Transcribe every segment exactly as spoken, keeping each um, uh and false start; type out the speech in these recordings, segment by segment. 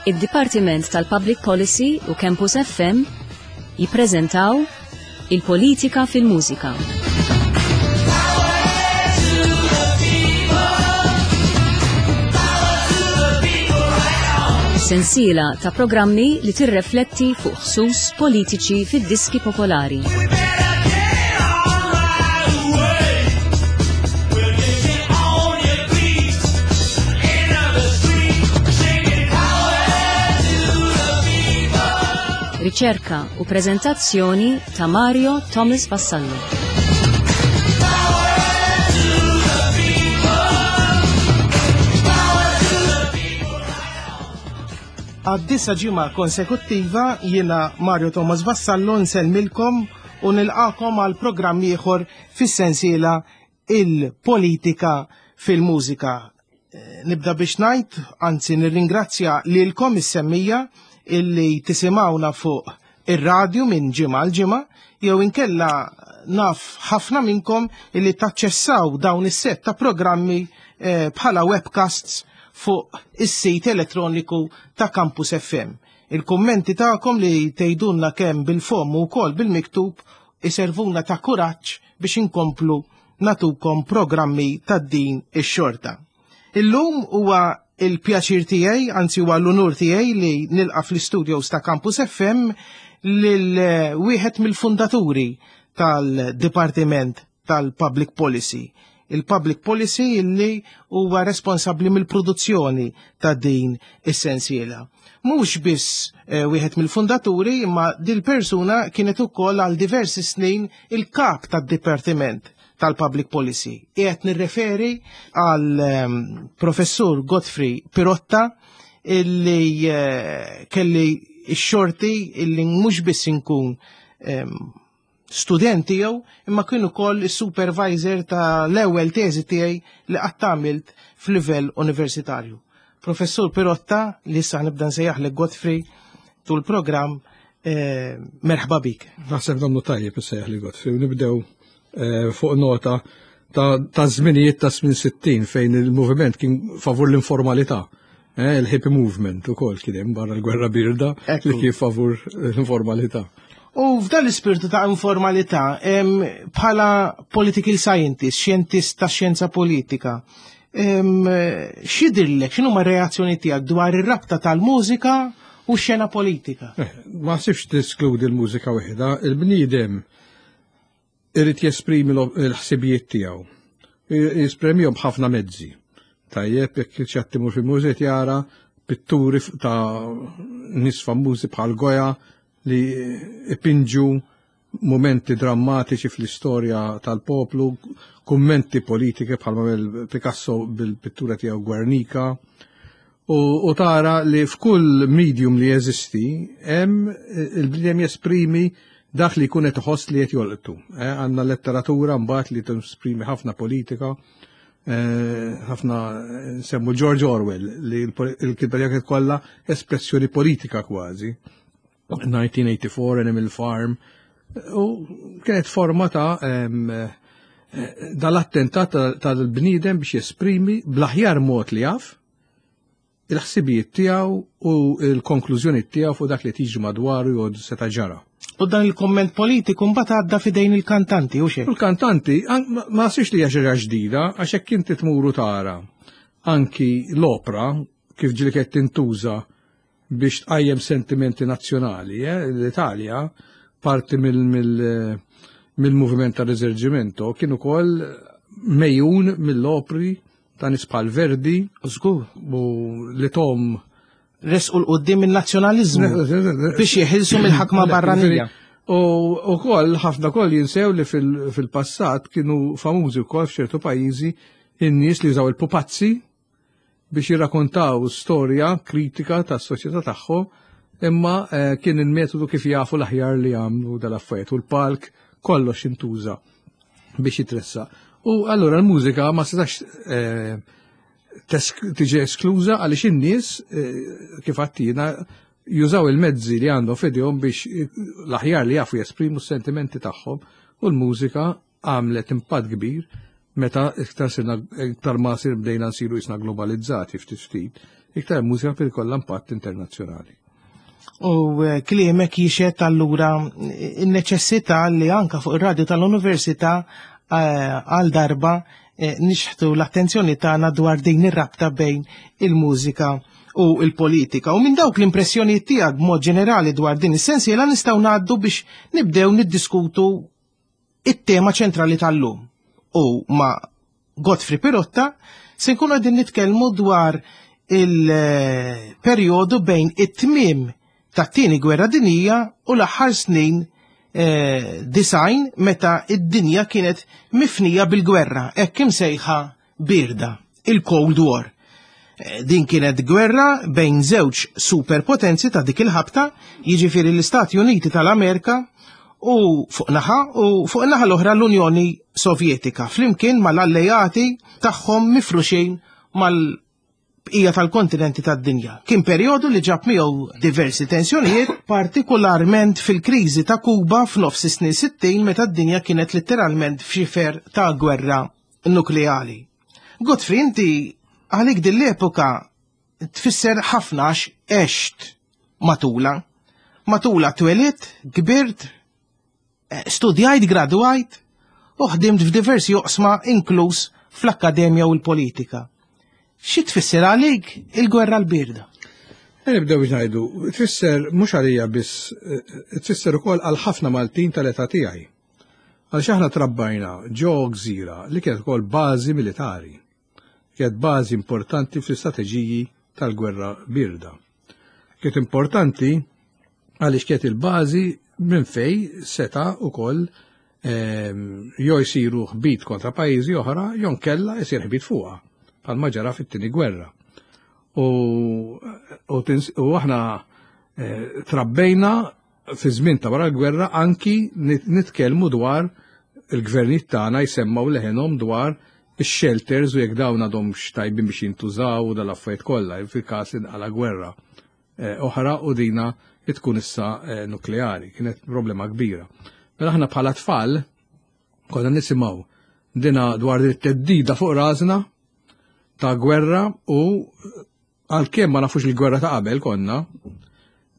Id-Dipartiment tal-Public Policy u Campus F M jippreżentaw Il-Politika fil-Mużika. Sensiela ta' programmi li tirrefletti fuq ħsus politiċi fid-diski popolari. Riċerka u preżentazzjoni ta' Mario Thomas Vassallo. Għad-disa ġimgħa konsekuttiva, jiena Mario Thomas Vassallo nsellmilkom u nilqakom għal programm ieħor fis-sensiela Il-Politika fil-Mużika. Eh, Nibda biex ngħid, anzi nirringrazzja lilkom is-semmija illi tisimgħuna fuq ir-radju minn ġimgħa għal ġimgħa, jew inkella naf ħafna minnkom illi taċċessaw dawn is-set ta' programmi eh, bħala webcasts fuq is-sit elettroniku ta' Campus F M. Il-kummenti tagħkom li tgħidulna kemm bil-fomm u wkoll bil-miktub iservuna ta' kuraġġ biex inkomplu natukom programmi ta' din ix-xorta. Illum huwa il-pjaċir tiegħi, anzi huwa l-unur tiegħi li nilqa' fl-studios ta' Campus F M lil eh, wieħed mill-fundaturi tal-Dipartiment tal-Public Policy. Il-Public Policy illi huwa responsabbli mill-produzzjoni ta' din is-sensiela. Mhux biss eh, wieħed mill-fundaturi, imma dil-persuna kienet ukoll għal diversi snin il-kap tad-Dipartiment tal-Public Policy. Qiegħed nirreferi għal ehm, Professur Godfrey Pirotta, illi eh, kelli x-xorti illi mhux biss inkun ehm, student tiegħu, imma kien ukoll is-supervisor ta' l-ewwel teżi tiegħi li qatt għamilt f'livell universitarju. Professur Pirotta, li issa nibda nsejjaħlek Godfrey tul programm, eh, merħba bik. Naħseb domnu tajjeb issejjaħ li Godfrey. Nibdew eh, fuq nota ta' ta' żminijiet ta' snin sittin fejn il-moviment kien favur l-informalità. Eh, il-hippie movement ukoll kien hemm barra l-gwerra birda Ekku. li kien favur l-informalità. U f'dan l-ispirtu ta' informalità, em, bħala political scientist, xjentist ta' xjenza politika, em, x'jidhirlek, x'inhuma reazzjoni tiegħek dwar ir-rabta tal-mużika u x-xena politika? Eh, ma sibx teskludi l-mużika waħda, il-bniedem irid jesprimi l- l-ħsibijiet tiegħu. Jesprimihom b'ħafna mezzi. Tajjeb, jekk ċattimur fil-mużet jara pitturi f- ta' nies famużi bħal Goya li ipinġu momenti drammatiċi fl-istorja tal-poplu, kummenti politiki bħal ma Picasso bil-pittura tiegħu Guernica, u, u tara li f'kull medium li jeżisti hemm il-bniedem jesprimi dak li jkun qed iħoss li qed jolqtu. Eh, Għandna letteratura mbagħad li tesprimi ħafna politika, eh, ħafna nsemmu George Orwell li l-kitba tiegħu kienet kollha espressjoni politika kważi. nineteen eighty-four, Animal Farm, u kienet forma ta' em, eh, dal-attentat tal-bniedem biex jesprimi bl-aħjar mod li jaf il-ħsibijiet tiegħu u l-konklużjoni tiegħu fuq dak li tiġi madwaru jew seta' ġara. U dan il-komment politiku mbagħad għadda f'idejn il-kantanti u xejn. U l-kantanti an- ma ma sirx li hija xi ħaġa ġdida, għax hekk inti tmuru tara anki l-opra kif ġieli kienet tintuża biex tqajjem sentimenti nazzjonali, eh? L-Italja parti mill- mill- mill-moviment ta' Risorgimento kien ukoll mejjun mill-opri ta' nies bħal Verdi Żgur. u li tom Resqu 'l quddiem il-nazzjonaliżmu biex jeħilsu mill-ħakma barranija. U u koll, ħafna koll jinsew li fil- fil-passat kienu famużi wkoll f'ċertu pajjiżi in-nies li jużaw il-pupazzi biex jirrakkontaw storja kritika tas-soċjetà tagħhom, imma eh, kien il-metodu kif jafu l-aħjar li jagħmlu dal-affarijiet u l-palk kollox intuża biex jitressa. U allura l-mużika ma setax eh, tesk- tiġi eskluża għaliex in-nies eh, kif għattina jużaw il-mezzi li għandhom f'idejhom biex eh, l-aħjar li jafu jesprimu s-sentimenti tagħhom, u l-mużika għamlet impatt kbir. Meta iktar sirna iktar ma sir bdejna nsiru jisna globalizzati ftit ftit, iktar mużika per ikollha impatt internazzjonali. U eh, kliemek jixhed allura n-neċessità li anka fuq ir-radju tal-Università eh, għal darba eh, nixħtu l-attenzjoni tagħna dwar din ir-rabta bejn il-mużika u il-politika. U minn dawk l-impressjonijiet tiegħek b'mod ġenerali dwar din is-sensiela nistgħu ngħaddu biex nibdew niddiskutu it-tema ċentrali tal-lum. U ma' Godfrey Pirotta se nkunu qegħdin nitkellmu dwar il-perjodu bejn it-tmiem tat-tieni gwerra dinjija u l-aħħar snin eh, disgħin meta id-dinja kienet mifnija bil-gwerra, hekk imsejħa birda, il-Cold War. Eh, Din kienet gwerra bejn żewġ superpotenzi ta' dik il-ħabta, jiġifieri l-Istati Uniti tal-Amerika u fuq naħa u fuq naħa l-oħra l-Unjoni Sovjetika, flimkien mal-alleati tagħhom mifruxin mal-bqija tal-kontinenti tad-dinja. Kien perjodu li ġab miegħu diversi tensjonijiet, partikolarment fil-kriżi ta' Kuba f'nofs is-snin sittin meta d-dinja kienet letteralment f'xifer ta' gwerra nukleali. Godfrey, inti għalik din l-epoka tfisser ħafna għax għext matula. Matula twelidt, kbirt, eh, studjajt, gradwajt u ħdimt f'diversi oqsma inkluż fl-akkademja u l-politika. Xi tfisser għalik il-gwerra l-birda? E nibdew biex ngħidu, tfisser mhux għalija biss, eh, tfisser ukoll għal ħafna Maltin tal-età tiegħi. Għaliex aħna trabbajna ġo gżira li kienet ukoll bażi militari. Kienet bażi importanti fl-istrateġiji tal-gwerra birda. Kienet importanti għaliex kienet il-bażi minn fej seta' ukoll ehm, jew jsiru ħbit kontra pajjiżi oħra jew nkella jsir ħbit fuqha, bħalma ġara fit-tieni gwerra. U, u, tins- u aħna eh, trabbejna fi żmien ta' wara l-gwerra anki nit- nitkellmu dwar il-gvernijiet tagħna jsemmaw leħenhom dwar ix-shelters u jekk dawn għadhomx tajbin biex jintużaw u dal-affarijiet kollha fil-każ li nqala gwerra eh, oħra u dina li tkun issa eh, nukleari. Kienet problema kbira. Mela aħna bħala tfal konna nisimgħu dina dwar it-theddida fuq rasna ta' gwerra u għalkemm ma nafux il-gwerra ta' qabel konna,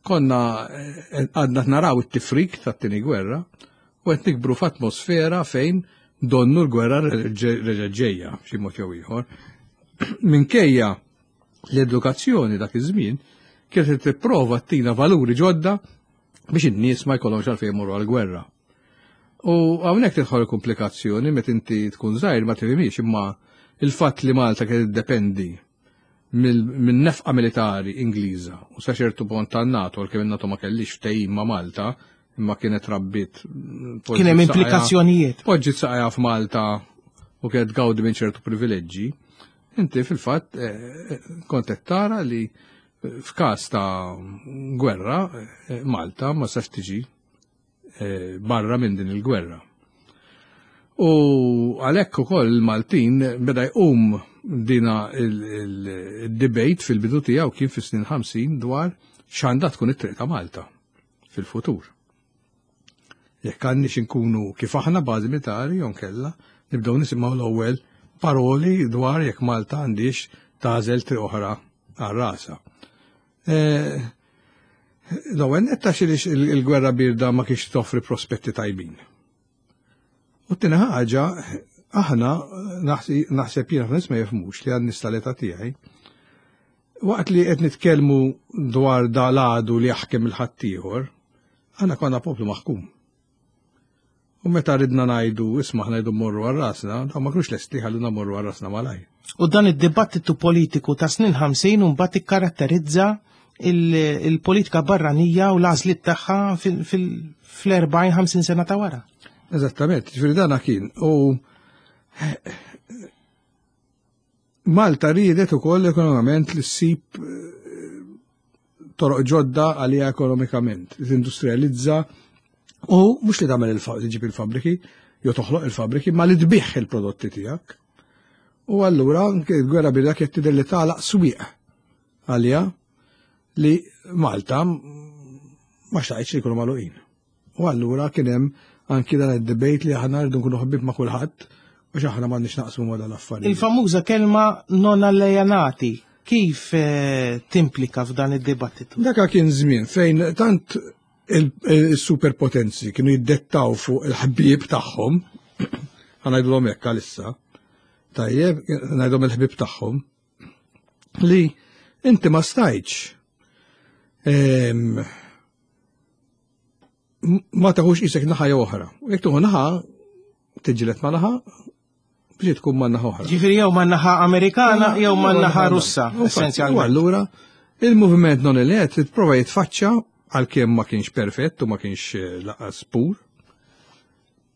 konna eh, għadna naraw it-tifrik tat-tieni gwerra u qed nikbru f'atmosfera fejn donnu l-gwerra reġa' ġejja b'xi mod jew ieħor. Minkejja l-edukazzjoni dak iż-żmien kienet tipprova ttina valuri ġodda biex in-nies ma jkollhomx għalfejn imorru għall-gwerra. U hawnhekk tidħol komplikazzjoni meta inti tkun żgħir ma tifhimx imma il-fatt li Malta kienet tiddependi minn nefqa militari Ingliża u sa ċertu punt tan-NATO, għalkemm in-NATO ma kellix ftehim ma' Malta, imma kienet rabbit Kien hemm implikazzjonijiet. Poġġiet saqajha f'Malta u kienet gawdi minn ċertu privileġġi. Inti fil-fatt eh, kont qed tara li f'każ ta' gwerra eh, Malta ma sax tiġi eh, barra minn din il-gwerra. U għalhekk ukoll il-Maltin beda jqum dina il-debate fil-bidu tiegħu kien fis-snin ħamsin dwar x'għandha tkun it-triq ta' Malta fil-futur. Jekk għandniex inkunu kif aħna bażi militari jew kella nibdew nisimgħu l-ewwel paroli dwar jekk Malta għandix tagħżel triq oħra għal rasha. Eh, L-ewwel netta xilix il-gwerra birda ma kienx toffri prospetti tajbin. U t-tieni ħaġa, aħna naħseb jiena nies ma jifhmux li għan tal-età tiegħi. Waqt li qed nitkellmu dwar dal-għadu li jaħkem il-ħaddieħor, aħna konna poplu maħkum. U meta ridna ngħidu, isma' aħna ngħidu morru għal rasna, dawn ma kinux lesti ħalluna morru għal rasna malaj. U dan id-dibattitu politiku ta' snin ħamsin u mbagħad ikkaratterizza il-politika barranija u l-għażliet tagħha fl-erbgħin ħamsin sena ta' wara. Eżattament, ġifieri dana kien. U Malta riedet ukoll ekonomikament li ssib toroq ġodda għalija ekonomikament, li tindustrializza u mhux li tagħmel li ġib il-fabriki, jew toħloq il-fabriki, ma li tbigħ il-prodotti tiegħek. U allura l-gwerra birda kienet tidher li tagħlaq swieq għalija li Malta ma xtaqitx li jkunu magħluqin. U allura kien hemm anki dan id-debate li aħna rridu nkunu ħbieb ma' kulħadd Għax aħna m'għandniex naqsmu ma dal-affarijiet. Il-famuża kelma non alleanati, kif eh, timplika f'dan id-dibattitu? Daka kien żmien fejn tant il-superpotenzi kienu jiddettaw fuq il-ħbieb tagħhom, ħa ngħidulhom hekk għalissa, tajjeb, ngħidhom il-ħbieb tagħhom, li inti ma stajtx em, ma taħux isek naħa jew oħra. U jekk tuħu naħa, tiġilet ma naħa, biex tkun ma naħa oħra. Ġifieri jew ma naħa Amerikana jew ma naħa Russa, U essenzjalment. allura, il-moviment non aligned prova jitfaċċa, għalkemm ma kienx perfett u ma kienx eh, laqas pur.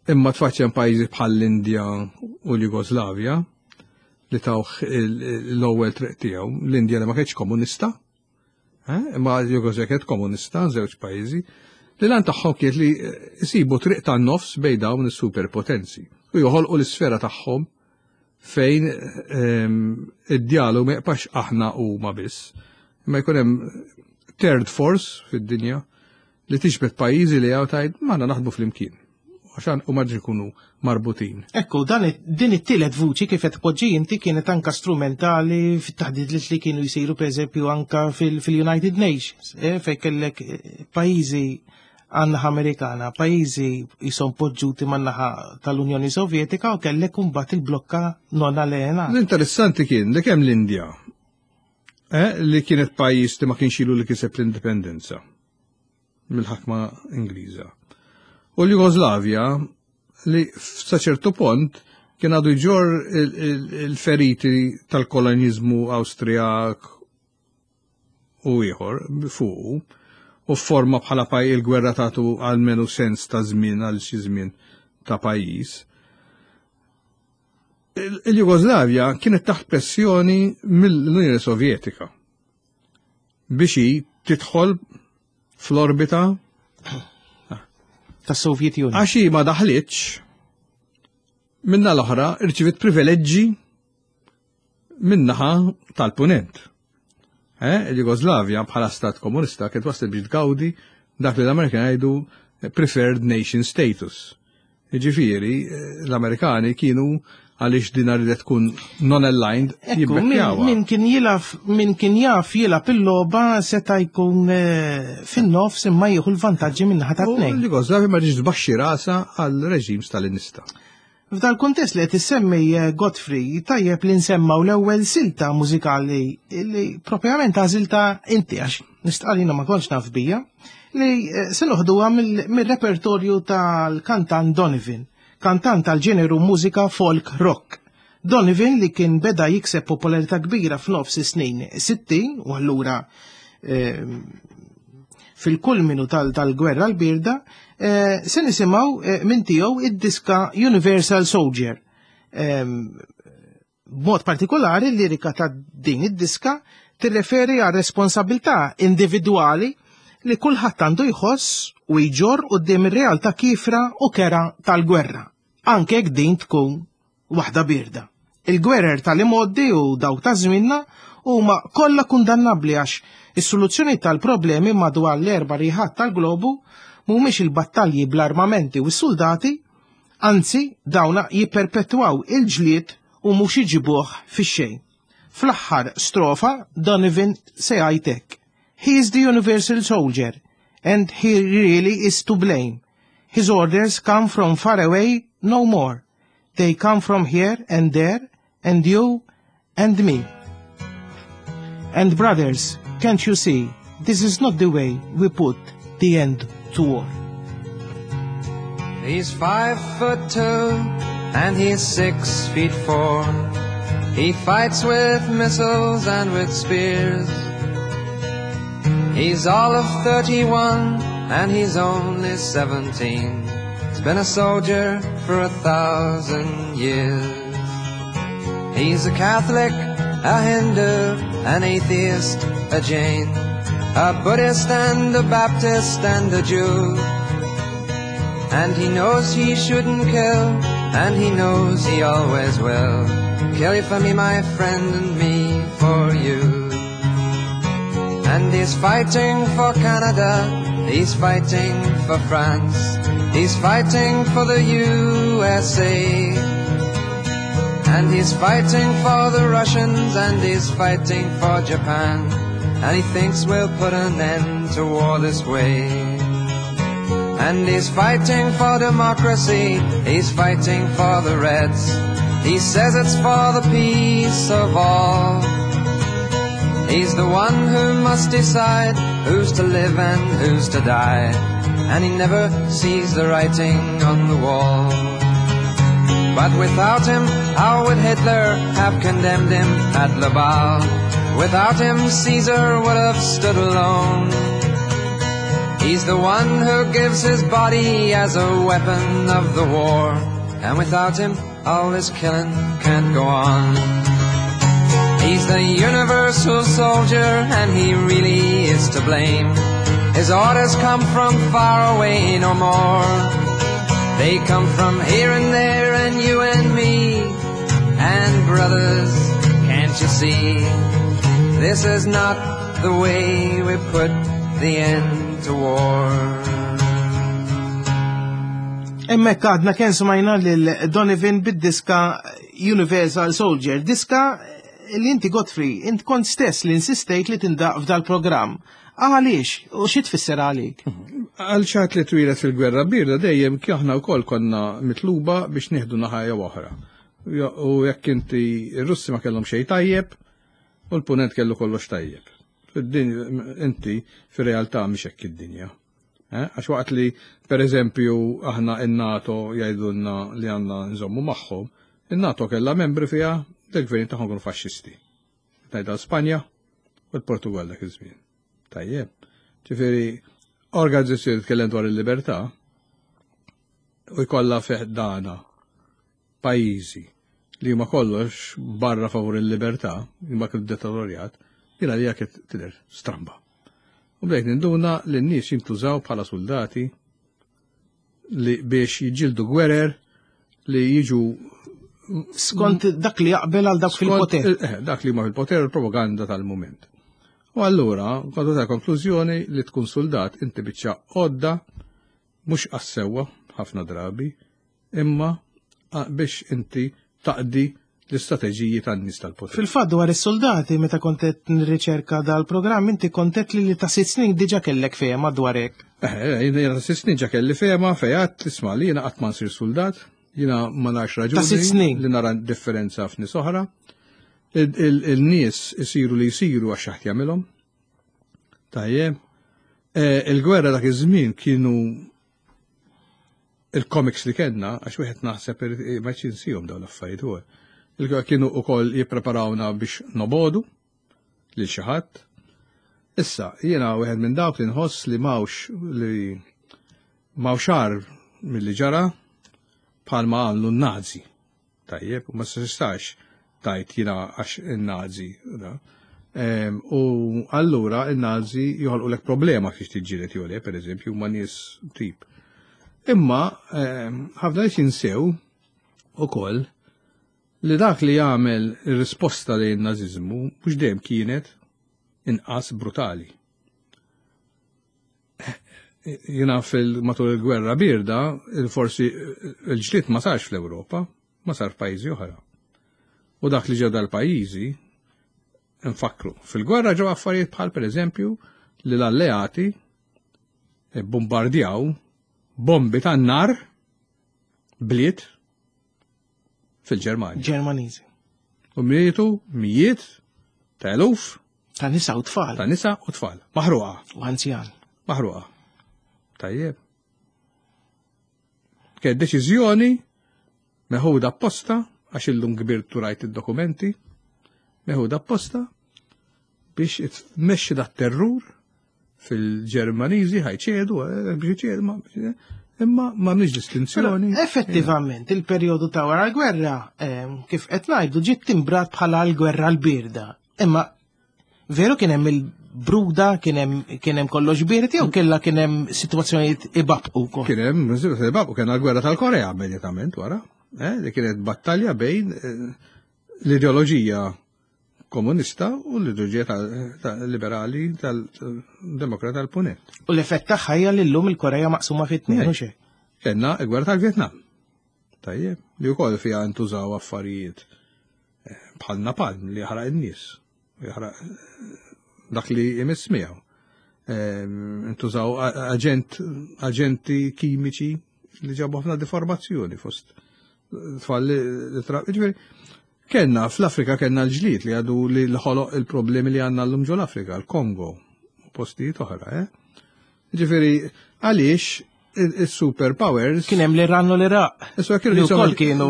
Imma tfaċċa pajjiżi bħal l-Indja u l-Jugoslavja li tawh l-ewwel triq tiegħu. L-Indja li ma kienx komunista, eh, imma l-Jugoslavja kienet komunista, żewġ pajjiżi, li l-għan tagħhom kienet li jsibu triq tan-nofs bejn dawn is-superpotenzi u joħolqu l-isfera tagħhom fejn ehm, id-dialogu ma jibqax aħna u ma biss. Imma jkun hemm third force fid-dinja li tiġbed pajjiżi li għaw tajt ma naħdmu flimkien. Għaxan u marġi jkunu marbutin. Ekku, dan it- din it-tielet vuċi kif qed tpoġġi inti kienet anka strumentali fit-taħdidiet li kienu jsiru pereżempju anka fil- fil-United Nations, eh, fejn kellek eh, pajjiżi għan-naħa Amerikana, pajjiżi jisom poġġuti man-naħa tal-Unjoni Sovjetika u kellek imbagħad il-blokka non aligned. L-interessanti kien li kemm l-Indja, eh, li kienet pajjiż li ma kienx ilu li kiseb l-indipendenza mill-ħakma Ingliża. U l-Jugoslavja li sa ċertu punt kien għadu jġor il- il- il-feriti tal-kolonizmu Awstrijak u ieħor fuqu u forma bħala paj il-gwerra tatu għalmenu sens ta' żmien għal xi żmien ta' pajjiż. Il- Il-Jugoslavja kienet taħt pressjoni mill-Unjoni Sovjetika biex hi tidħol fl-orbita Tas-Soviet Union. Għax hi ma daħlitx, minna l-oħra irċivit privileġġi minnaħa tal-punent. Eh, il-Jugoslavja bħala stat komunista kienet waslet biex tgawdi dak li l-Amerikani jgħidu preferred nation status. Jiġifieri, eh, l-Amerikani kienu għaliex din ridet tkun non-aligned Ekku, min, jibbekkjawha. min kien jilaf, min kien jaf jilgħab il-logħba seta' jkun eh, fin-nofs imma jieħu l-vantaġġi min-naħa ta' U tnejn. l-Jugoslavja ma ġiġ tbaxxi rasa għal reġim stalinista. F'dal kuntest li qed issemmi eh, Godfrey, tajjeb li nsemmaw l-ewwel silta mużikali li propjament għażilta inti, għax nistqarrina ma kontx naf bija, li eh, se noħduha mill- mill-repertorju tal-kantant Donovan, kantant tal-ġeneru mużika folk rock. Donovan li kien beda jikseb popolarità kbira f'nofs is-snin sittin u allura eh, fil-kulminu tal- tal-gwerra l-birda, eh, se nisimgħu eh, minn tiegħu id-diska Universal Soldier. Em, B'mod partikolari l-lirika ta' din id-diska tirreferi għal responsabilità individwali li kulħadd għandu jħoss u jġorr quddiem ir-realtà kifra u kera tal-gwerra, anke jekk din tkun waħda birda. Il-gwerer tal-imgħoddi u dawk ta' żminna huma kollha kundannabbli għax is-soluzzjoni tal-problemi madwar l-erba' riħat tal-globu mhumiex il-battalji bl-armamenti u s-soldati, anzi dawna jipperpetwaw il-ġlied u mhux iġibuh fix-xejn. Fl-aħħar strofa Donovan se jgħid hekk: "He is the universal soldier and he really is to blame. His orders come from far away no more. They come from here and there and you and me. And brothers, can't you see, this is not the way we put the end to war." He's five foot two and he's six feet four. He fights with missiles and with spears. He's all of thirty-one and he's only seventeen. He's been a soldier for a thousand years. He's a Catholic, a Hindu, an atheist, a Jain, a Buddhist and a Baptist and a Jew. And he knows he shouldn't kill, and he knows he always will. Kill you for me, my friend, and me for you. And he's fighting for Canada, he's fighting for France, he's fighting for the U S A. And he's fighting for the Russians and he's fighting for Japan. And he thinks we'll put an end to war this way. And he's fighting for democracy, he's fighting for the Reds. He says it's for the peace of all. He's the one who must decide who's to live and who's to die. And he never sees the writing on the wall. But without him, how would Hitler have condemned him at Libau? Without him, Caesar would have stood alone. He's the one who gives his body as a weapon of the war. And without him, all this killing can't go on. He's the universal soldier, and he really is to blame. His orders come from far away no more. They come from here and there and you and me. And brothers, can't you see? This is not the way we put the end to war. Hemmhekk għadna kemm smajna lil Donovan bid-diska Universal Soldier, diska li inti Godfrey, int kont stess li insistejt li tindaqq f'dal-programm. Għaliex, u xi tfisser għalik? Għal xi ħadd li twieled fil-gwerra bierda dejjem aħna wkoll konna mitluba biex nieħdu naħa jew oħra. U jekk inti ir-Russi ma kellhom xejn tajjeb, u l-punent kellu kollox tajjeb. Inti fir-realtà mhix hekk id-dinja. Eh? Għax waqt li, per eżempju, aħna in-NATO jgħidulna li għandna nżommu magħhom, in-NATO kellha membri fiha del-gvern tagħhom kienu faxxisti. Ngħidha Spanja u l-Portugal dak iż-żmien. Tajjeb. Ġifieri, organizzazzjoni tkellem dwar il-libertà u jkollha fih dana pajjiżi li huma kollox barra favur il-libertà, imma kif dittatorjat, jiena li jekk tidher stramba. U bdejt ninduna li n-nies jintużaw bħala soldati li biex jiġġieldu gwerer li jiġu skont dak li jaqbel għal dak fil-poter. Eh, dak li huma fil-poter u l-propaganda tal-moment. U allura, kontu ta' konklużjoni li tkun soldat inti biċċa għodda mhux għas-sewwa ħafna drabi, imma biex inti taqdi l-istrateġiji tan-nies tal-poter. Fil-fatt dwar is-soldati meta kont qed nirriċerka dal-programm inti kont qed li li ta' sitt snin diġà kellek fehma dwar hekk. Eh, jiena ta' sitt snin ġa kelli fehma fejat tisma' li jiena qatt ma nsir soldat, jiena ma narax raġuni li nara differenza f'nies oħra. Il-nies isiru li jsiru għax xaħt jagħmilhom. Tajjeb. Eh, il-gwerra dak iż-żmien kienu il-comics li kellna, għax wieħed naħseb ma jinsihom dawn l-affarijiet huwa. Kienu wkoll jippreparawna biex nobodu lil xi ħadd. Issa, jiena wieħed minn dawk li nħoss li mawx li m'hawnx agħar milli ġara bħalma għamlu n-Nazi. Tajjeb, u ma tistax tajt jiena għax in-Nazi. U allura in-Nazi joħolqu lek problema kif tiġġieled jew le, pereżempju, ma' nies tip. Imma ħafna nies jinsew ukoll li dak li jagħmel ir-risposta lejn naziżmu mhux dejjem kienet inqas brutali. Jiena fil-matul il-gwerra bierda, forsi il-ġlied ma sarx fl-Ewropa, ma sar f'pajjiżi oħra. U dak li ġew dal-pajjiżi, nfakru, fil-gwerra ġew affarijiet bħal pereżempju li l-alleati bombardjaw bombi tan-nar bliet fil-Ġermanja. Ġermaniżi. U mietu mijiet ta' eluf ta' nisa u tfal. Ta' nisa u tfal. Maħruqa. U anzjan. Maħruqa. Tajjeb. Kien deċiżjoni meħuda apposta, għax illum kbirt u rajt id-dokumenti, meħuda apposta biex tmexxi dat terrur fil-Ġermaniżi ħajċedu, eh, biex iċedu, ma- imma ma nix distinzjoni. Effettivament, il-perjodu ta' wara l-gwerra, ehm, kif qed ngħidu, ġiet timbrat bħala l-gwerra l-birda. Imma veru kien hemm il-bruda, kien hemm kien hemm kollox bierd jew kellha kien hemm sitwazzjonijiet ibabqu wkoll. Kien hemm ibabqu, kien l-gwerra tal-Korea immedjatament wara, eh, li kienet battalja bejn eh, l-ideoloġija komunista u l-ideoloġija tal-liberali tal-demokrata tal-punent. U l-effett tagħha hija li llum il-Korea maqsuma fi tnejn, hux hekk? Kellna l-gwerra tal-Vjetnam. Tajjeb, li wkoll fiha ntużaw affarijiet Bħal napalm li jaħraq in-nies, jaħraq dak li jmiss miegħu. Intużaw aġent, aġenti kimiċi li ġabu ħafna deformazzjoni fost tfal li tra. Ġifieri, kellna fl-Afrika kellna l-ġlied li għadu li ħoloq il-problemi li għandna llum ġol Afrika, l-Kongo, u postijiet oħra, eh? Ġifieri, għaliex il-superpowers. Kien hemm l-Iran u l-Iraq. Issa kienu Li jisom- wkoll kienu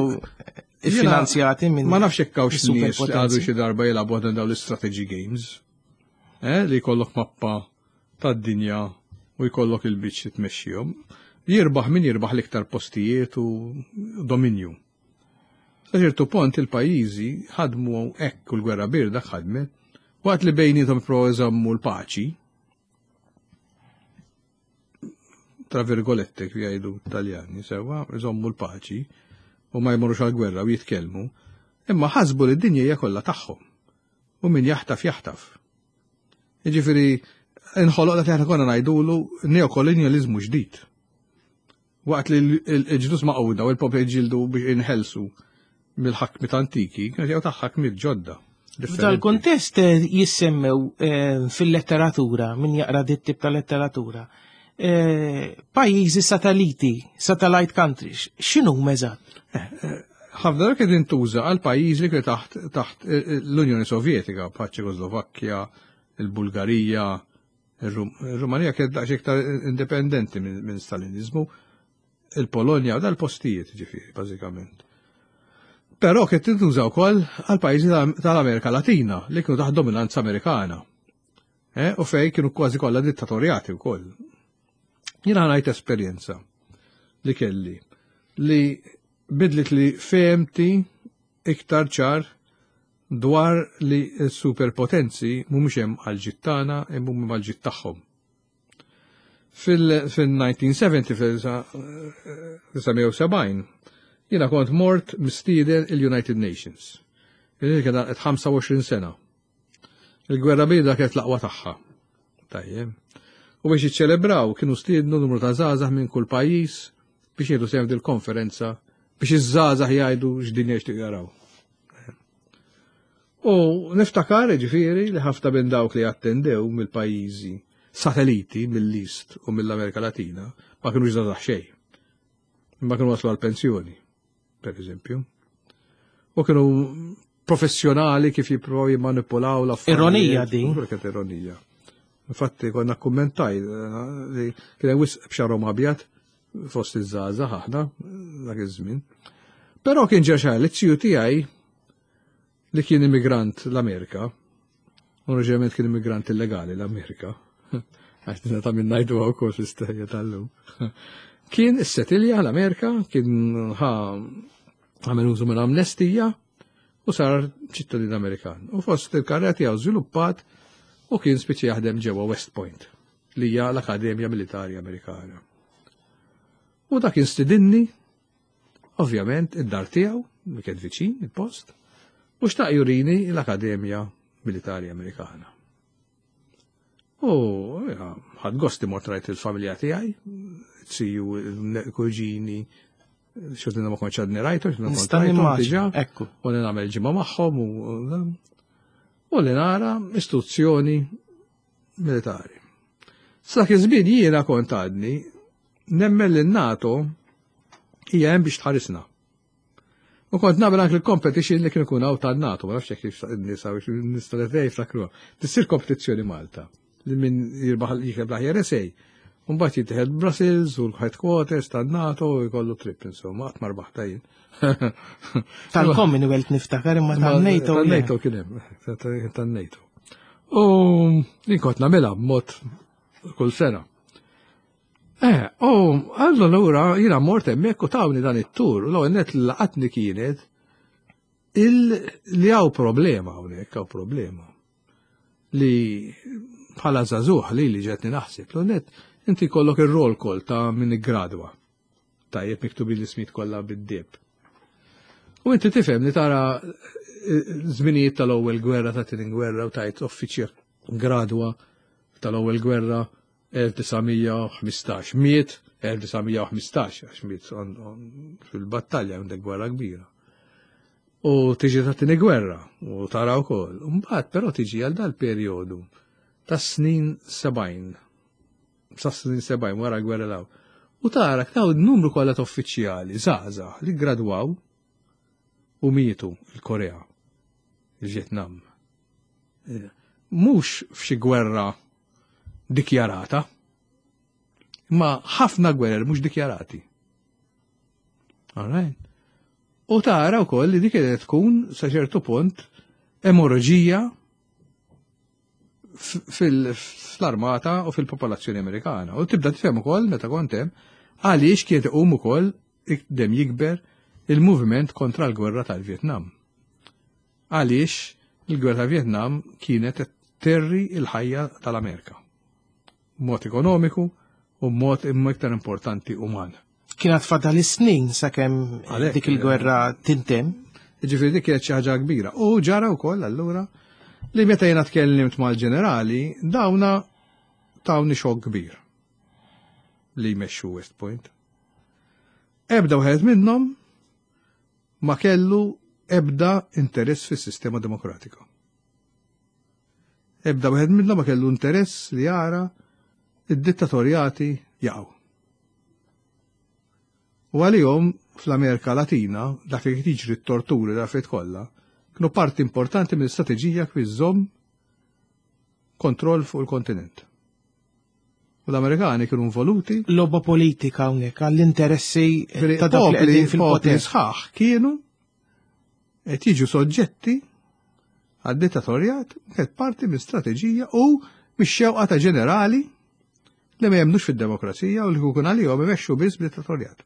Jiena finanzjati minn Ma nafx hekk hawnx nies li għadu superpotenzi. xi darba jilagħbu għadhom dawn l-strategy games. Eh, li jkollok mappa tad-dinja u jkollok il-biċċ tmexxihom. Jirbaħ min jirbaħ l-iktar postijiet u dominju. Sa ċertu punt il-pajjiżi ħadmu hekk u l-gwerra birda ħadmet, waqt li bejnietom ippruvaw iżommu l-paċi, tra virgolette kif jgħidu Taljani, sewwa, iżommu l-paċi u ma jmorrux għal-gwerra u jitkellmu, imma ħasbu li d-dinja hija kollha tagħhom. U min jaħtaf jaħtaf. Jiġifieri inħoloq dak li aħna konna ngħidulu neokolonjaliżmu ġdid. Waqt li l-ġnus Magħquda u l-popli ġildu biex inħelsu mill-ħakmit antiki, kienu ġew ta' ħakmit ġodda. F'dal kontest eh, jissemmew eh, fil-letteratura, min jaqra dit tip ta' letteratura, eh, pajjiżi satelliti, satellite countries, x'inhu eżatt? Ħafna dak qed intuża għal pajjiżi li kienu taħt taħt l-Unjoni Sovjetika, bħal Ċekoslovakkja, il-Bulgarija, il-Rumanija kienet daqsxejn iktar indipendenti minn minn Stalinizmu, il-Polonja u dal-postijiet ġifieri, bażikament. Però kienet tintuża wkoll għal pajjiżi tal-Amerika Latina li kienu taħt dominanza Amerikana. Eh, u fej kienu kważi kollha dittatorjati wkoll. Jiena ngħid esperjenza li kelli li bidlit li fehmti iktar ċar dwar li s-superpotenzi mhumiex hemm għal tagħna imma huma għal tagħhom. Fil-elf disa' mija u sebgħin, fil-elf disa' mija u sebgħin, jiena kont mort mistieden il-United Nations. Il kien ħamsa u għoxrin sena. Il-gwerra bierda kienet l-aqwa tagħha. Tajjeb. U biex jiċċelebraw kienu stiednu numru ta' żgħażagħ minn kull pajjiż biex jieħdu sehem dil-konferenza biex iż-żgħażagħ jgħidu x'dinja jixtiequ jaraw. U niftakar ġifieri li ħafna minn dawk li attendew mill-pajjiżi satelliti mill-East u mill-Amerika Latina ma kienu żgħażagħ xejn. Imma kienu waslu għal-pensjoni, per eżempju. U kienu professjonali kif jippruvaw jimmanipulaw l-affarijiet. Ironija din. Kienet ironija. Infatti konna kummentaj li kien hemm wisq b'xagħarhom abjad fost iż-żgħażagħ aħna dak iż-żmien. Però kien ġa xahar li t tiegħi li kien immigrant l-Amerika, oriġinarjament kien immigrant illegali l-Amerika, għax dinna ta' minn ngħidu wkoll fl-istorja tal-lum. Kien issetilja l-Amerika, kien ħa għamel użu minn amnestija u sar ċittadin Amerikan. U fost il-karriera tiegħu żviluppat u kien spiċċa jaħdem ġewwa West Point, li hija l-Akademja Militari Amerikana. U dak kien stidinni, ovvjament, id-dar tiegħu, li kien viċin, il-post, u xtaq jurini l-Akademja Militari Amerikana. U ħadt gost mort rajt il-familja tiegħi, ziju, kuġini, xortina ma kontx għadni rajtu, xortina kont Nista' rajthom nimmaġina, diġà, ekku. u li nagħmel ġimgħa magħhom u u li nara istituzzjoni militari. Sa iż-żmien jiena kont għadni nemmen li n-NATO hija hemm biex tħarisna. U kont nagħmel anke l-competition li kien ikun hawn tan-NATO, ma nafx jekk nisa nista' jiftakruha. Tissir kompetizzjoni Malta li min jirbaħ jikteb l-aħjar essay. Mbagħad jittieħed Brussels u l-headquarters tan-NATO u jkollu trip insomma, qatt ma rbaħta jien. Tal-Commonwealth niftakar imma tal-NATO. Tan-NATO kien hemm, tan-NATO. U jien kont nagħmilha b'mod kull sena. Eh, u allura jiena mort hemmhekk u tawni dan it-tur, u l-ewwel net li laqatni kienet il li hawn problema hawnhekk hawn problema. Li bħala żagħżugħ li li ġetni naħseb, l net inti kollok ir-roll call ta' min iggradwa. Tajjeb miktubin l-ismijiet kollha bid-deheb. U inti tifhem li tara żminijiet tal-ewwel gwerra, ta' tieni gwerra u tajt uffiċjer gradwa tal-ewwel gwerra elf disa' mija u ħmistax. Miet elf disa' mija u ħmistax, għax miet fil-battalja għandek gwerra kbira. U tiġi tat-tieni gwerra u tara wkoll. Mbagħad però tiġi għal dal-perjodu tas-snin sebgħin. Sa snin sebgħin wara l-gwerra law. U tara daw numru kollha ta' uffiċjali żgħażagħ li gradwaw u mietu il-Korea, il-Vjetnam. Mhux f'xi gwerra dikjarata, imma ħafna gwerer mhux dikjarati. All right. U tara wkoll li dik qed tkun sa ċertu punt emorraġija fl-armata u fil-popolazzjoni Amerikana. U tibda tifhem ukoll meta kont hemm għaliex kien iqum ukoll dem jikber il-moviment kontra l-gwerra tal-Vjetnam. Għaliex il-gwerra tal-Vjetnam kienet terri il-ħajja tal-Amerika. Mod ekonomiku u mod imma iktar importanti uman. Kienet fadal is-snin sakemm dik il-gwerra tintemm. Ġifieri dik kienet xi ħaġa kbira. U ġara wkoll allura li meta jiena tkellimt mal-ġenerali, dawna tawni xokk kbir li jmexxu West Point. Ebda wieħed minnhom ma kellu ebda interess fis-sistema demokratika. Ebda wieħed minnhom ma kellu interess li jara id-dittatorjati jaqgħu. U għalihom fl-Amerika Latina, dak li jiġri t-torturi l-affarijiet kollha, kienu parti importanti mill-istrateġija kif iżżomm kontroll fuq il-kontinent. U l-Amerikani kienu involuti. Logħba politika hawnhekk għall-interessi ta' dawk li qegħdin fil-poter. Sħaħ kienu qed jiġu soġġetti għad-dittatorjat, kienet parti minn strateġija u mix-xewqa ta' ġenerali li ma jemnux fid-demokrazija u li kukun għalihom imexxu biss b'dittatorjat.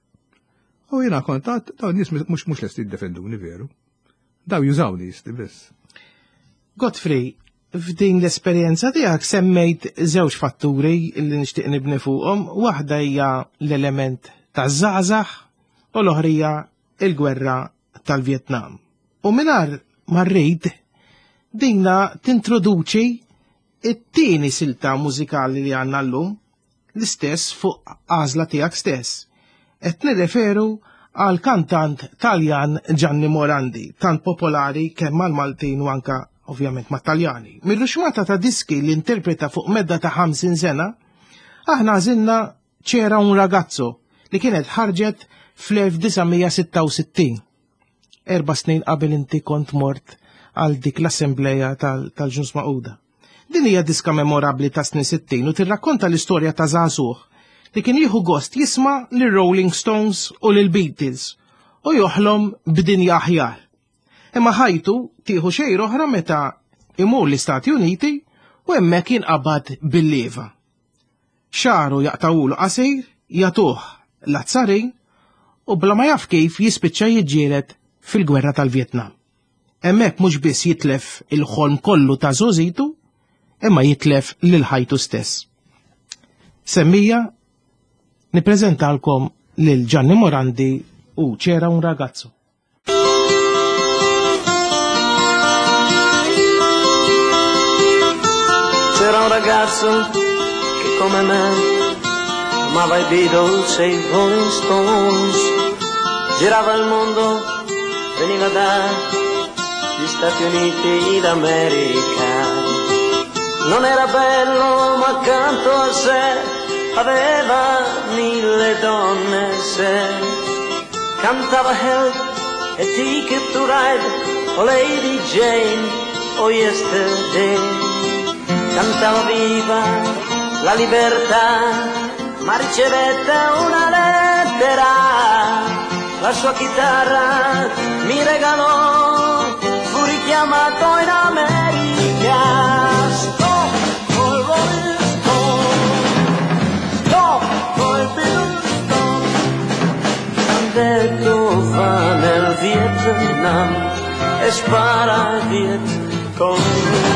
U jiena kontat, dawn nies mhux mhux lesti jiddefenduni veru. Daw jużawni jisti biss. Godfrey, f'din l-esperjenza tiegħek semmejt żewġ fatturi li nixtieq nibni fuqhom. Waħda hija l-element taż-żgħażagħ u l-oħra hija l-gwerra tal-Vjetnam. U mingħajr ma rrid dinna tintroduċi it-tieni silta mużikali li għandna llum, l-istess fuq għażla tiegħek stess. Qed nirreferu għal kantant Taljan Gianni Morandi, tant popolari kemm mal-Maltin u anka ovvjament mat-Taljani. Mir-ruxmata ta' diski li interpreta fuq medda ta' ħamsin sena, aħna għażilna C'era un ragazzo li kienet ħarġet fl-elf disa' mija sitta u sittin. Erba' snin qabel inti kont mort għal dik l-assembleja tal-Ġnus Magħquda. Din hija diska memorabbli ta' snin sittin u tirrakkonta l-istorja ta' żagħżugħ li kien jieħu gost jisma' lil Rolling Stones u lil Beatles u joħlom b'dinja aħjar. Imma ħajtu tieħu xejn oħra meta imur l-Istati Uniti u hemmhekk jinqabad bil-leva. Xaru jaqtawulu qasir, jagħtuh l-azzarin u bla ma jaf kif jispiċċa jiġġieled fil-gwerra tal-Vjetnam. Hemmhekk mhux biss jitlef il-ħolm kollu ta' żgħożitu, imma jitlef lil ħajtu stess. Semmija nippreżentalkom lil Gianni Morandi u C'era un ragazzo. C'era un ragazzo che come me amava i Beatles e i Rolling Stones, girava il mondo, veniva dagli Stati Uniti d'America. Non era bello ma accanto a sé aveva mille donne, se cantava Help e Ticket to Ride o Lady Jane o Yesterday. Cantava viva la libertà, ma ricevette una lettera, la sua chitarra mi regalò, fu richiamato in America. Stop col Rolling Stone, stop col Beatles, stop. Han detto va nel Vietnam e spara Viet Cong.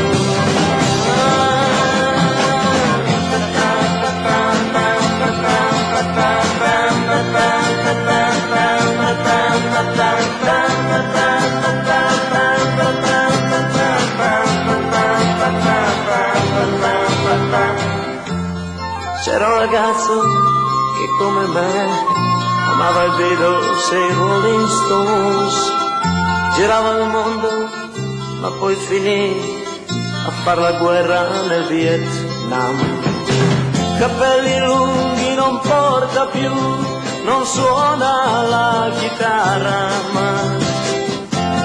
C'era un ragazzo che come me amava il Beatles e i Rolling Stones, Girava il mondo, ma poi finì a far la guerra nel Vietnam. Capelli lunghi non porta più, non suona la chitarra, ma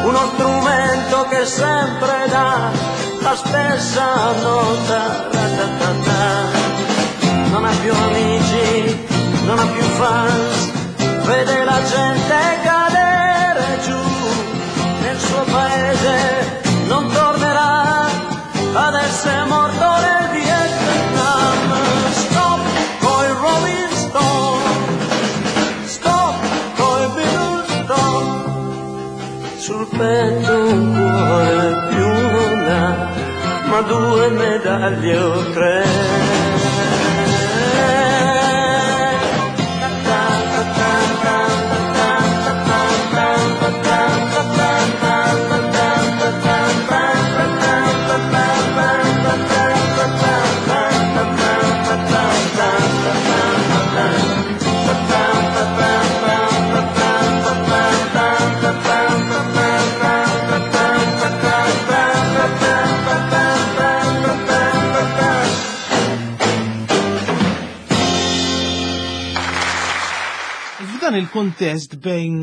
uno strumento che sempre dà la stessa nota. Ra-ta-ta-ta. Non ha più amici, non ha più fans, vede la gente cadere giù nel suo paese, non tornerà, adesso è morto nel Vietnam. Stop coi Rolling Stone, stop coi Beatles, stop. Sul petto un cuore più non ha, ma due medaglie o tre. F'dan il-kuntest bejn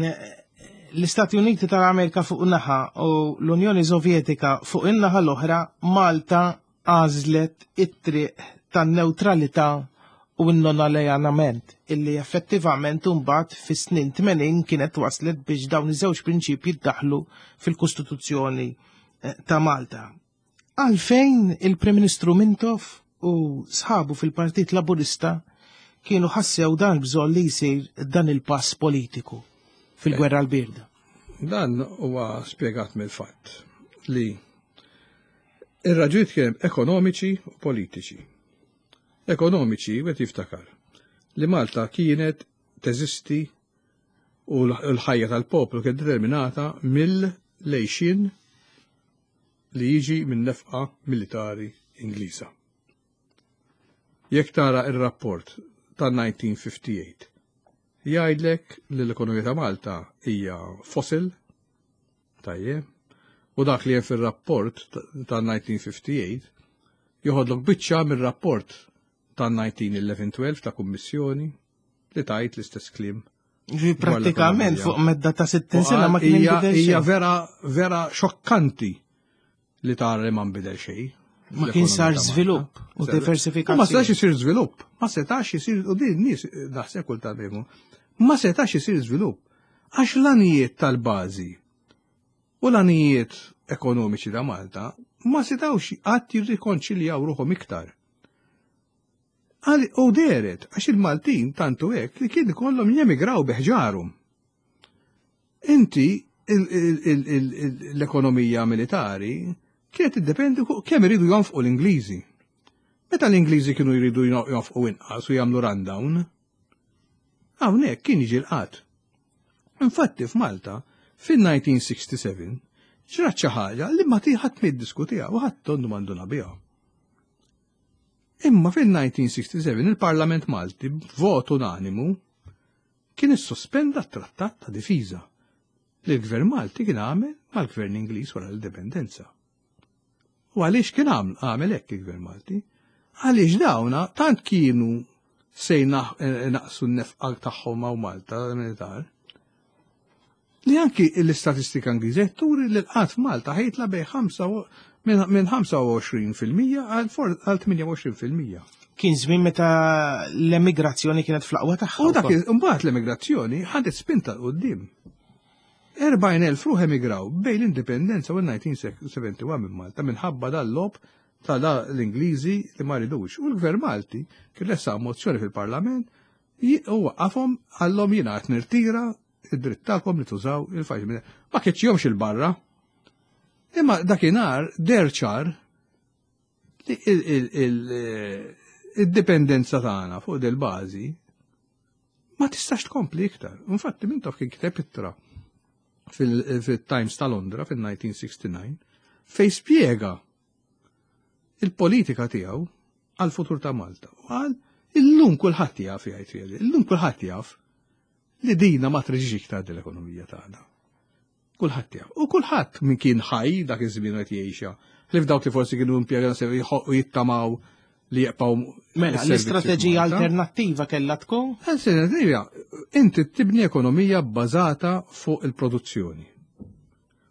l-Istati Uniti tal-Amerika fuq naħa u l-Unjoni Sovjetika fuq in-naħa l-oħra, Malta għażlet it-triq tan-newtralità u n-non-alleanament, illi effettivament imbagħad fis-snin tmenin kienet waslet biex dawn iż-żewġ prinċipji ddaħlu fil-Kostituzzjoni ta' Malta. Għalfejn il-Prim Ministru Mintoff u sħabu fil-Partit Laburista kienu ħassew dan bżonn li jsir dan il-pass politiku fil-gwerra l-birda? Dan huwa spjegat mill-fatt li ir-raġunijiet kienu ekonomiċi u politiċi. Ekonomiċi, wieħed jiftakar li Malta kienet teżisti u l-ħajja tal-poplu kienet determinata mill-lejxin li jiġi minn nefqa militari Ingliża. Jekk tara ir-rapport ta' nineteen fifty-eight, jgħidlek li l-ekonomija ta' Malta hija fossil, tajjeb, u dak li hemm fir-rapport ta' nineteen fifty-eight joħodlok biċċa mir-rapport ta' nineteen eleven twelve ta' kummissjoni li tajt l-istess kliem. Ġi prattikament fuq medda ta' sittin sena ma kien Hija inbidel hija xejn. vera, vera xokkanti li tara li ma nbidel xejn. Ma kien sar L-ekonomija ta' żvilupp Malta. u diversifikazzjoni. Ma setax isir żvilupp, ma setax isir, u din nies naħseb kultant bejmu, ma setax isir żvilupp għax l-għanijiet tal-bażi u l-għanijiet ekonomiċi ta' Malta ma setawx qatt jirrikonċiljaw ruħhom iktar. Għal-, u deret, għax il-Maltin tantu hekk li kien ikollhom jemigraw biħġarhom. Inti il-, il-, il-, il-, il-, l-ekonomija militari kienet tiddependi fuq kemm iridu jonfqu l-Ingliżi. Meta l-Ingliżi kienu jridu jo-, jonfqu inqas u jagħmlu rundown, hawnhekk kien jiġi l-qatt. Infatti f'Malta fin-nineteen sixty-seven ġrat xi ħaġa li ma ħadd ma jiddiskutiha u ħadd tondu m'għandu biha. Imma fin-nineteen sixty-seven il-Parlament Malti b'vot unanimu kien issospenda t-trattat ta' difiża li l-Gvern Malti kien għamel mal-Gvern Ingliż wara l-Indipendenza. U għaliex kien għam-, għamel hekk il-Gvern Malti? Għaliex dawna tant kienu se jnaq-, eh, naqsu n-nefqa tagħhom hawn Malta militar li anki l-istatistika Ingliża turi li l-qgħad f'Malta ħejtla bej ħamsa u-, minn, minn ħamsa u għoxrin fil-mija għal for-, għal tminja u għoxrin fil-mija. Kien żmien meta l-emigrazzjoni kienet fl-aqwa tagħha U dak wkoll. iż-, imbagħad l-emigrazzjoni ħadet spinta 'l quddiem. Erbgħin elf ruħ emigraw bejn l-indipendenza u nineteen seventy-one minn Malta minħabba dal-lob ta' da l-Ingliżi li ma ridux. U l-Gvern Malti kien ressaq mozzjoni fil-Parlament ji-, u waqqafhom għallhom jiena qed nirtira id-dritt tagħkom li tużaw il-faċ. Ma keċċihomx il-barra. Imma dakinhar deher ċar li il-, il-, il-, id-dipendenza tagħna fuq del-bażi ma tistax tkompli iktar. Infatti Mintoff kien kiteb ittra fil-, fil-Times ta' Londra fil-nineteen sixty-nine fej spjega il-politika tiegħu għal-futur ta' Malta. U qal, illum kulħadd jaf, jgħid fiha, illum kulħadd jaf li dina ma treġix iktar dil-ekonomija tagħna. Kulħadd jaf. U kulħadd min kien ħaj dak iż-żmien qed jgħixha. Ħlief dawk li forsi kienu impjegati u jittamaw li jibqgħu. Mela, l-istrateġija alternattiva kellha tkun? Alternativa, inti tibni ekonomija bbażata fuq il-produzzjoni.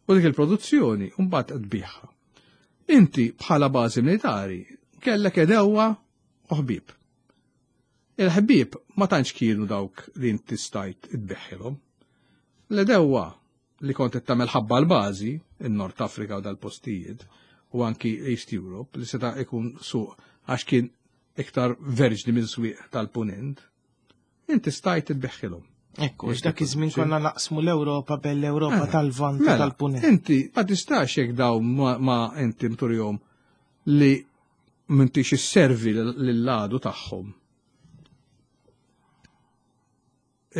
U dik il-produzzjoni mbagħad tbigħha. Inti bħala bażi militari kellek għedewwa u ħbieb. Il-ħbieb ma tantx kienu dawk li inti stajt tbigħilhom. L-għedewwa li kont qed tagħmel ħabba l-bażi, in-Nord Afrika u dal-postijiet, u anki East Europe, li seta' ikun suq għax kien iktar verġni minn swieq tal-punent, inti stajt tbigħilhom. Ekku, dak iż-żmien konna naqsmu l-Ewropa bell-Ewropa tal-Lvant u tal-Punent. Inti ma tistax jekk daw ma inti mturjom li m'intix isservi lill-għadu tagħhom.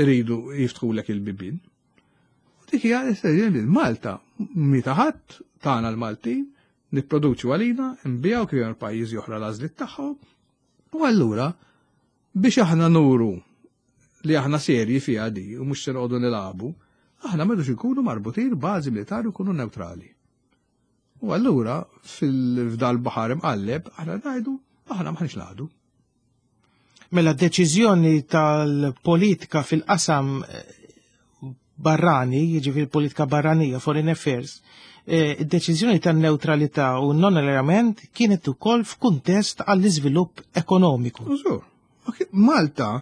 Iridu jiftħulek il-bibien. U dik hija Malta mita ħadd tagħna l-Maltin nipproduċu għalina, nbijaw kif hemm pajjiżi oħra l-għażliet tagħhom. U allura biex aħna nuru li aħna serji fiha di u mhux se noqogħdu nilagħbu, aħna m'għadux inkunu marbutin bażi militari u nkunu neutrali. U allura fil-fdal baħar imqalleb aħna ngħidu aħna m'aħniex ngħadu. Mela d-deċiżjoni tal-politika fil-qasam barrani, jiġifieri politika barranija, foreign affairs, id-deċiżjoni tan-neutralità u non-allineament kienet ukoll f'kuntest għall-iżvilupp ekonomiku. Malta,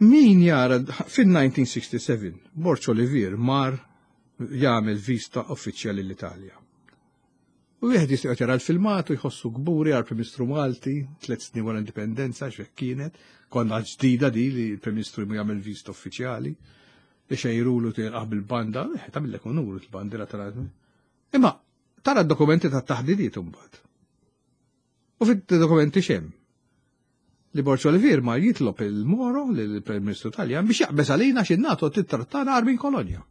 min jara fin-nineteen sixty-seven, Borg Olivier mar jagħmel vista uffiċjali l-Italja. U wieħed jista' jara l-filmat u jħossu kburi għal Prim Ministru Malti, tliet snin wara l-indipendenza x'hekk kienet, konna ġdida di li l-Prim Ministru jagħmel vista uffiċjali, ixejrulu tilqaħ bil-banda, tagħmillek unur il-bandira tal. Imma tara d-dokumenti tat-taħdidiet imbagħad. U fid-dokumenti x'hemm? Li Borg Olivier ma jitlob il-Moro lill-Prim Ministru Taljan biex jaqbeż għalina xi NATO tittrattana għar minn kolonja.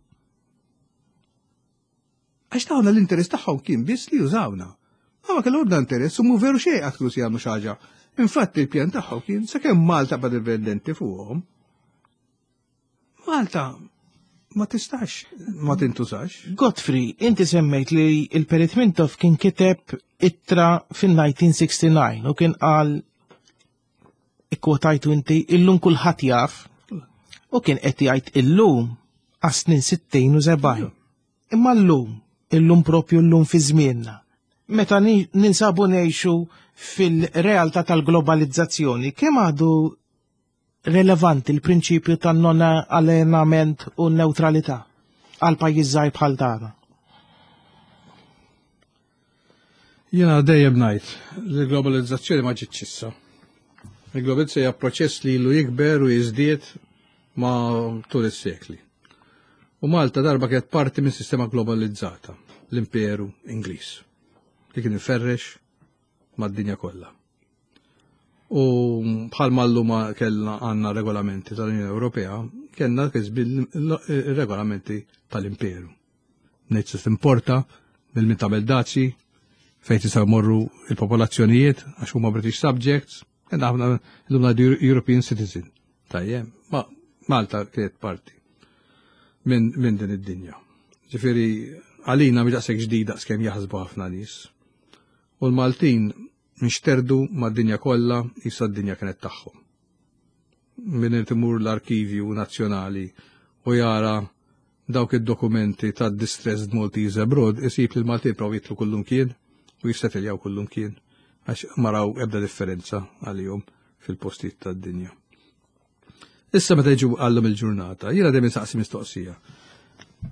Għax tawna l-interess tagħhom kien biss li jużawna. Ma ma kellhom ebda interess u mhu veru xejn qatt kienu se jagħmlu xi ħaġa. Infatti il-pjan tagħhom kien sakemm Malta bad dipendenti fuqhom. Malta ma tistax, ma tintużax. Godfrey, inti semmejt li il-Perit Mintoff kien kiteb ittra fin-nineteen sixty-nine u kien qal ikkwotajtu inti illum kulħadd jaf u kien qed jgħid illum għas-snin sittin u sebgħin. Imma llum, illum propju llum fi żmienna. Meta ninsabu ngħixu fil-realtà tal-globalizzazzjoni, kemm għadu relevanti l-prinċipju tan non allenament u neutralità għal pajjiż żgħir bħal tagħna? Jiena dejjem ngħid li l-globalizzazzjoni ma ġietx issa. Il-globalizzazzjoni hija proċess li ilu jikber u jiżdied ma' tul is-sekli. U Malta darba kienet parti minn sistema globalizzata, l-Imperu Ingliż, li kien iferrex mad-dinja kollha. U bħalma llum kellna għandna regolamenti tal-Unjoni Ewropea, kellna kisbi regolamenti tal-Imperu. Ngħid se timporta mill min tagħmel dazi, fejn tistgħu jmorru il-popolazzjonijiet għax huma British subjects, kellna ħafna llum ngħidu European citizen. Tajjeb, ma Malta kienet parti minn min din id-dinja. Ġifieri għalina mhix daqshekk ġdida skemm jaħsbu ħafna nies. U l-Maltin nxterdu mad-dinja kollha issa d-dinja kienet tagħhom. Min irid imur l-arkivju nazzjonali u jara dawk id-dokumenti tad Distressed Maltese Abroad isib li l-Maltin provaw jitlu kullum kien u jissetiljaw kullum kien għax ma raw ebda differenza għalihom fil-postijiet tad-dinja. Issa meta jiġu għallhom il-ġurnata, jiena dejjem insaqsi mistoqsija.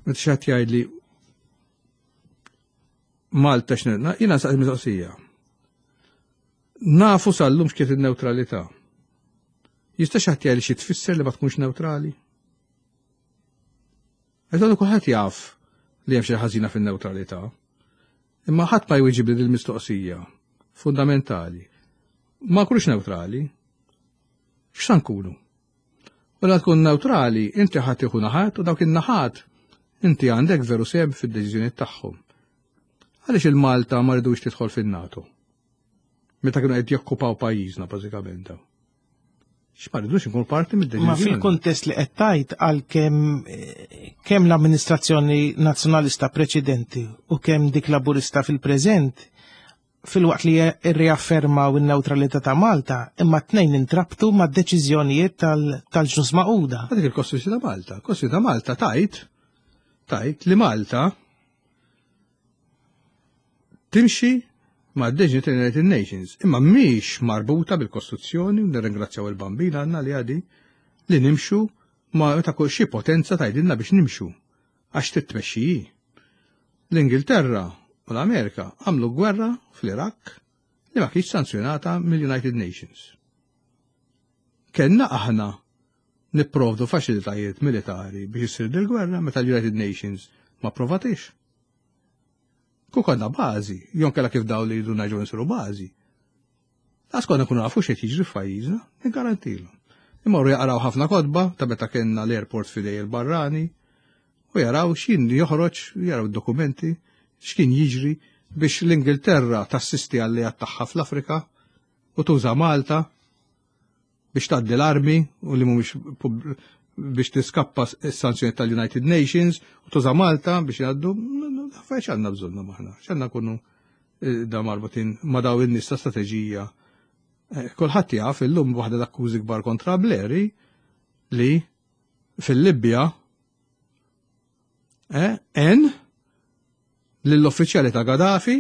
Meta xi ħadd jgħidli Malta x'nilna, jiena nsaqsi mistoqsija. Nafu sal-lum x'kiet in-newtralità. Jista' xi ħadd jgħidli xi tfisser li ma tkunx newtrali? Għax dan kulħadd jaf li hemm xi ħażina fin-newtralità. Imma ħadd ma jwieġib li l-mistoqsija fundamentali. Ma nkunux newtrali. X'sa nkunu? U la tkun neutrali, inti ħadd tieħu naħat u dawk in-naħat inti għandek veru seb fid-deċiżjonijiet tagħhom. Għaliex il-Malta ma ridux tidħol fin-NATO? Meta kienu qed jokkupaw pajjiżna bażikament daw. X'ma rridux inkunu parti mid-deċiżjoni. Ma fil-kuntest li qed tgħid għal kemm kemm l-amministrazzjoni nazzjonalista preċedenti u kemm dik laburista fil-preżent, filwaqt li rriaffermaw in-newtralità ta' Malta, imma t-tnejn intrabtu ma' deċiżjonijiet tal-Ġnus Magħquda. Dik il-Kostituzzjoni ta' Malta. Kostituzzjoni ta' Malta tajt tajt li Malta timxi ma' deċiżjoni tal-United Nations, imma mhix marbuta bil-Kostituzzjoni, u nirringrazzjaw il-Bambin għandna li għadi li nimxu ma' meta kull xi potenza tgħidilna biex nimxu għax titmexxi. L-Ingilterra u l-Amerika għamlu gwerra fl-Iraq li ma kienx sanzjonata mill-United Nations. Kenna aħna nipprovdu faċilitajiet militari biex issir dil-gwerra meta l-United Nations ma provatix. Ku konna bażi, jon kella kif daw li jridu ngħidu nsiru bażi. Las konna nkunu nafu x'qed jiġri f'pajjiżna, niggarantilhom. Imorru jaqraw ħafna kotba ta' meta kellna l-airport f'idej il-barrani u jaraw x'in joħroġ, jaraw id-dokumenti, x'kien jiġri biex l-Ingilterra tassisti għall-alleat tagħha fl-Afrika u tuża Malta biex tgħaddi l-armi u li mhumiex biex tiskappa s-sanzjoni tal-United Nations u tuża Malta biex jgħaddu, fejn x'għandna bżonna maħna, x'għandna nkunu da marbutin ma' daw in-nies ta' strateġija. Kulħadd jaf illum waħda l-akkużi kbar kontra Blair li fil-Libja en lill-uffiċjali ta' Gaddafi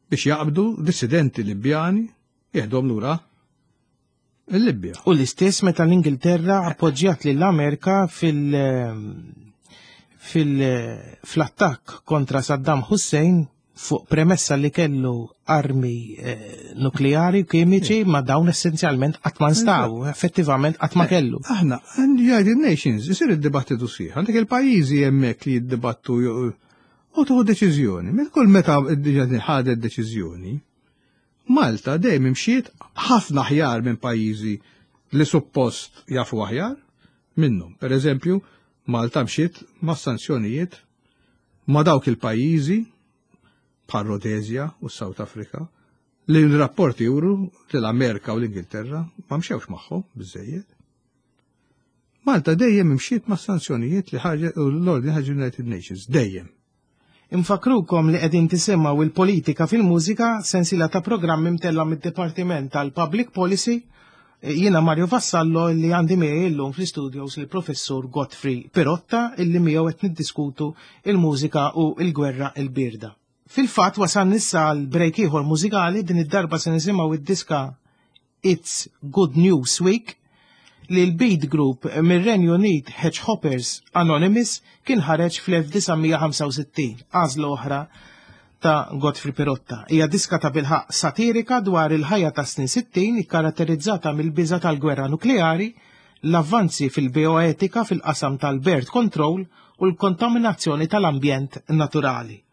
biex jaqbdu dissidenti Libjani jeħdhom lura il-Libja. U l-istess meta l-Ingilterra appoġġjat lill-Amerika fil- fil fl-attakk kontra Saddam Hussein fuq premessa li kellu armi eh, nukleari u kimiċi, ma dawn essenzjalment qatt ma nstaw, effettivament qatt ma kellu. Aħna, United Nations, isir id-dibattitu sieħ, għandek il-pajjiżi hemmhekk li jiddibattu u tuħu deċiżjoni. Meta kull meta ħadet deċiżjoni, Malta dejjem imxiet ħafna aħjar minn pajjiżi li suppost jafu aħjar minnhom. Per eżempju, Malta mxiet ma' sanzjonijiet ma' dawk il-pajjiżi bħal Rhodesia u South Africa li l-rapporti juru li l-Amerika u l-Ingilterra ma mxewx magħhom biżejjed. Malta dejjem imxiet ma' sanzjonijiet li ħarġet u l-ordni ħarġet United Nations, dejjem. Infakrukom li qegħdin tisimgħu il-politika fil-mużika, sensiela ta' programmi mtella mid-Dipartiment tal-Public Policy. Jiena Mario Vassallo li għandi miegħi llum fl-studios il-Professur Godfrey Pirotta illi miegħu qed niddiskutu il-mużika u l-gwerra l-birda. Fil-fatt wasalna issa għal break ieħor mużikali, din id-darba se nisimgħu id-diska It's Good News Week li l-beat group mir-Renju Unit Hedgehoppers Anonymous kien ħareġ fl-elf disa' mija ħamsa u sittin, għażla oħra ta' Godfrey Pirotta. Hija diska ta' bilħaq satirika dwar il-ħajja ta' snin sittin ikkaratterizzata mill-biża' tal-gwerra nukleari, l-avvanzi fil-bioetika fil-qasam tal-birth control u l-kontaminazzjoni tal-ambjent naturali.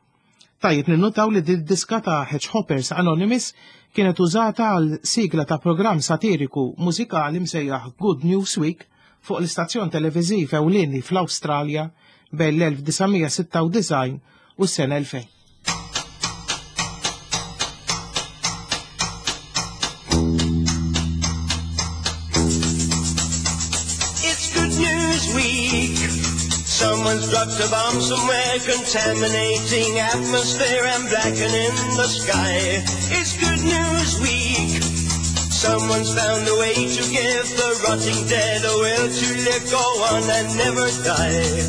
Tajjeb ninnutaw li din diska ta' Hedgehoppers Anonymous kienet użata għal sigla ta' programm satiriku mużikali msejjaħ Good News Week fuq l-istazzjon televiżiv ewlieni fl-Awstralja bejn l-elf disa' mija sitta u disgħin u s-sena elfejn. It's Good News Week. Someone's dropped a bomb somewhere, contaminating atmosphere and blackening the sky. It's Good News Week. Someone's found a way to give the rotting dead a will to live, go on and never die.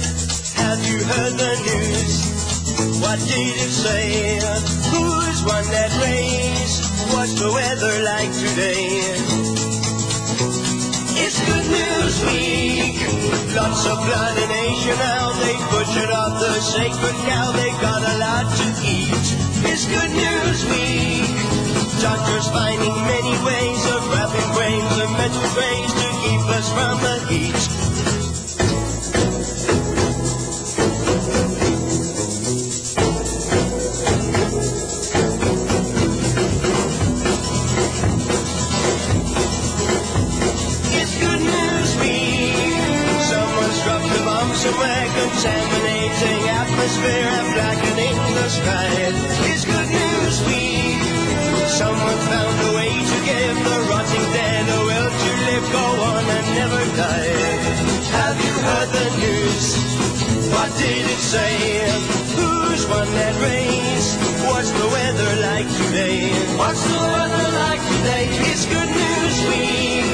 Have you heard the news? What did it say? Who's won that race? What's the weather like today? It's Good News Week. Lots of blood in Asia now. They butchered up the sacred cow. They got a lot to eat. It's Good News Week. Doctors finding many ways of wrapping grains of metal trays to keep us from the heat. It's Good News Week. Someone's dropped a bomb somewhere, contaminating atmosphere and blackening the sky. It's Good News Week. Someone found a way to give the rotting dead a will to live, go on and never die. Have you heard the news? What did it say? Who's won that race? What's the weather like today? What's the weather like today? It's Good News Week.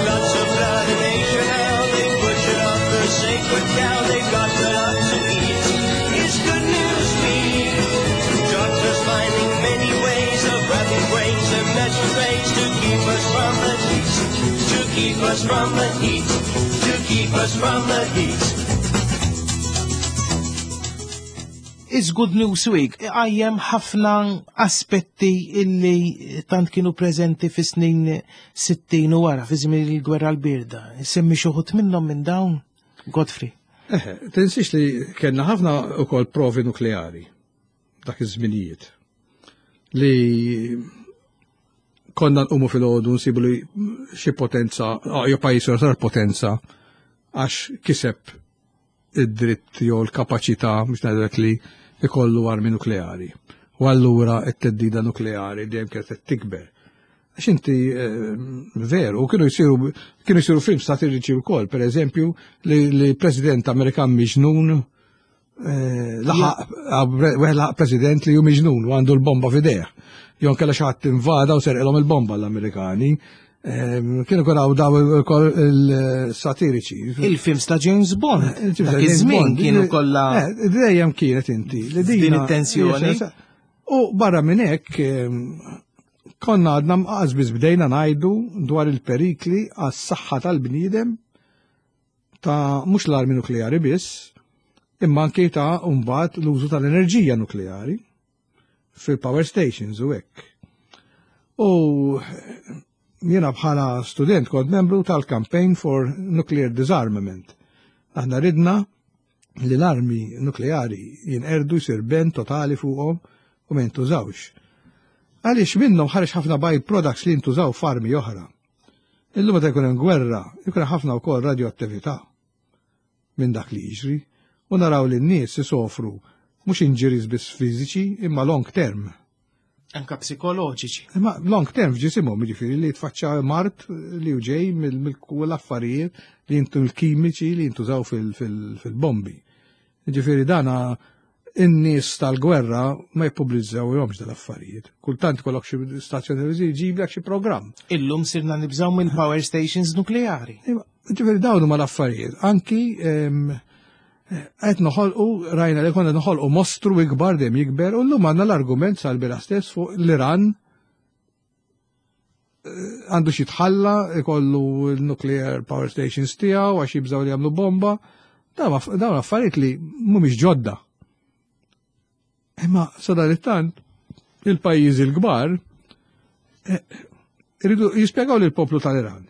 Lots of blood in Asia now. They butchered off the sacred cow. They've got a lot to eat. It's Good News Week. Doctors finding many ways of wrapping brains in metal trays to keep us from the heat. To keep us from the heat. To keep us from the heat. It's Good News Week għajjem ħafna aspetti illi tant kienu preżenti fi snin sittin u wara, fi żmien il-gwerra l-birda. Semmi xi wħud minnhom minn dawn, Godfrey. Eh, tinsiex li kellna ħafna ukoll provi nukleari dak iż-żminijiet li konna nqumu fil-għodu nsibu li xi potenza, jew pajjiż sar potenza għax kiseb id-dritt jew l-kapaċità biex ngħidlek li ikollu armi nukleari. U allura t-teddida nukleari dejjem kienet qed tikber. Għax inti veru, kienu jsiru kienu jsiru films satiriċi wkoll, pereżempju li, li president Amerikan miġnun laħaq laħaq president li hu miġnun u għandu l-bomba f'idejh. Jew kellha xi ħadd invada u serqilhom il-bomba l-Amerikani. Kienu kuraw daw il-satiriċi. Il-films ta' James Bond. Dak iż-żmien kienu kollha. Dejjem kienet inti. Din it-tensjoni. U barra minn hekk konna għadna mqas biss bdejna ngħidu dwar il-perikli għas-saħħa tal-bniedem ta' mhux l-armi nukleari biss, imma anke ta' mbagħad l-użu tal-enerġija nukleari fil-power stations u hekk. U jiena bħala student kont membru tal-Campaign for Nuclear Disarmament. Aħna ridna li l-armi nukleari jinqerdu jsir ben totali fuqhom u ma jintużawx. Għaliex minnhom ħareġ ħafna by products li jintużaw f'armi oħra. Illum meta jkun hemm gwerra, jkun hemm ħafna wkoll radioattività minn dak li jiġri u naraw li n-nies isofru mhux injuries biss fiżiċi imma long term. Anka psikoloġiċi. Imma long term f'ġisimhom, jiġifieri li tfaċċa mart li hu ġej mill affarijiet li jintu l-kimiċi li jintużaw fil-bombi. Jiġifieri dana in-nies tal-gwerra ma jippubblizzawhomx dal-affarijiet. Kultant ikollok xi stazzjoni televiżiva jġiblek xi programm. Illum sirna nibżgħu mill-power stations nukleari. Jiġifieri dawn huma l-affarijiet. Anki qed noħolqu rajna li konna noħolqu mostru ikbar dejjem jikber u llum għandna l-argument sal-bira stess fuq l-Iran għandu xi tħalla ikollu l-nuclear power stations tiegħu għax jibżgħu li jagħmlu bomba. Dawn affarijiet li mhumiex ġodda. Imma sadanittant il-pajjiżi l-kbar iridu jispjegaw lill-poplu tal-Iran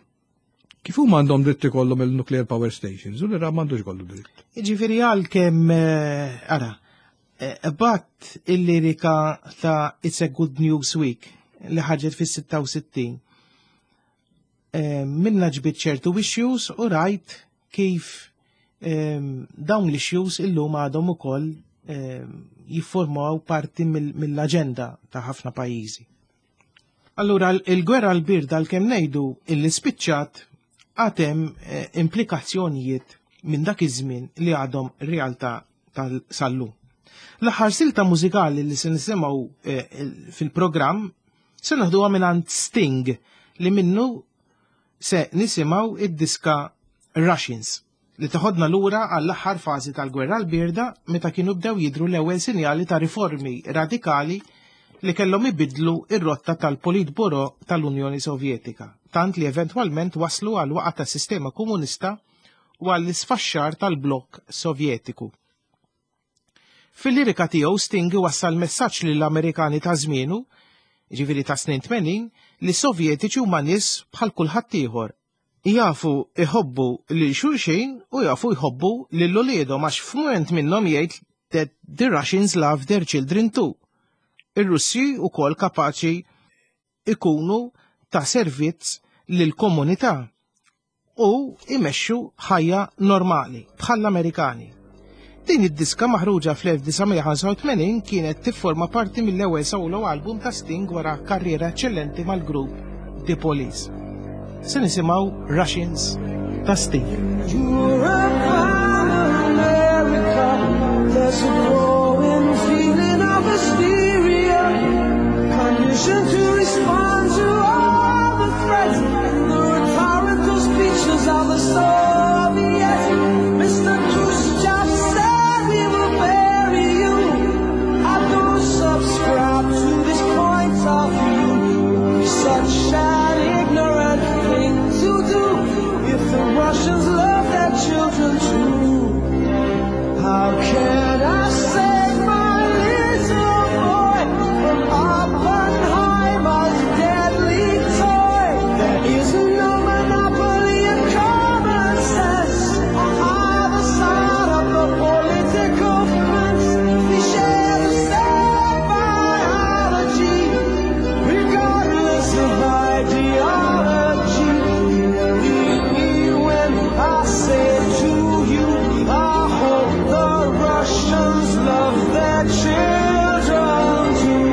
kif huma għandhom dritt ikollhom il-nuclear power stations u l-Iran m'għandux kollu dritt. Jiġifieri għalkemm ara, bat il-lirika ta' It's a Good News Week li ħarġet fis-sitta u sittin. Minna ġbit ċertu issues u rajt kif dawn l-issues illum għadhom ukoll jiffurmaw parti mill-aġenda ta' ħafna pajjiżi. Allura il-gwerra l-birda għalkemm ngħidu illi spiċċat għatem implikazzjonijiet minn dak iż-żmien li għadhom realtà tal-sallum. L-aħħar silta mużikali li se nisimgħu fil-programm se naħduha mingħand Sting li minnu se nisimgħu id-diska Russians li teħodna lura għall-aħħar fażi tal-gwerra l-birda meta kienu bdew jidhru l-ewwel sinjali ta' riformi radikali li kellhom ibidlu ir-rotta tal-Politburo tal-Unjoni Sovjetika, tant li eventwalment waslu għal waqgħa tas-sistema komunista u għall isfaxxar tal-blokk Sovjetiku. Fil-lirika tiegħu Sting wassal messaġġ lill-Amerikani ta' żmienu, jiġifieri ta' snin tmenin, li Sovjetiċi huma nies bħal kulħadd ieħor. Jafu iħobbu lil xulxin u jafu jħobbu lil uliedhom għax f'mument minnhom jgħid that the Russians love their children too. Ir-Russi wkoll kapaċi ikunu ta' servizz lill-komunità u imexxu ħajja normali bħall-Amerikani. Din id-diska maħruġa fl-elf disa' mija ħamsa u tmenin kienet tifforma parti mill-ewwel solo album ta' Sting wara karriera eċċellenti mal-grupp The Police. Se nisimgħu Russians ta' Sting. There's a growing feeling of hysteria, conditioned to respond to all the threats and the rhetorical speeches of the Soviets. Mister Khrushchev said we will bury you. I don't subscribe to this point of view. Such an ignorant thing to do. If the Russians love their children too, how can I save my little boy from Oppenheimer's deadly toy? There is no monopoly of common sense on either side of the political fence. We share the same biology, regardless of ideology. Believe me when I say to you, I hope the Russians love their children too.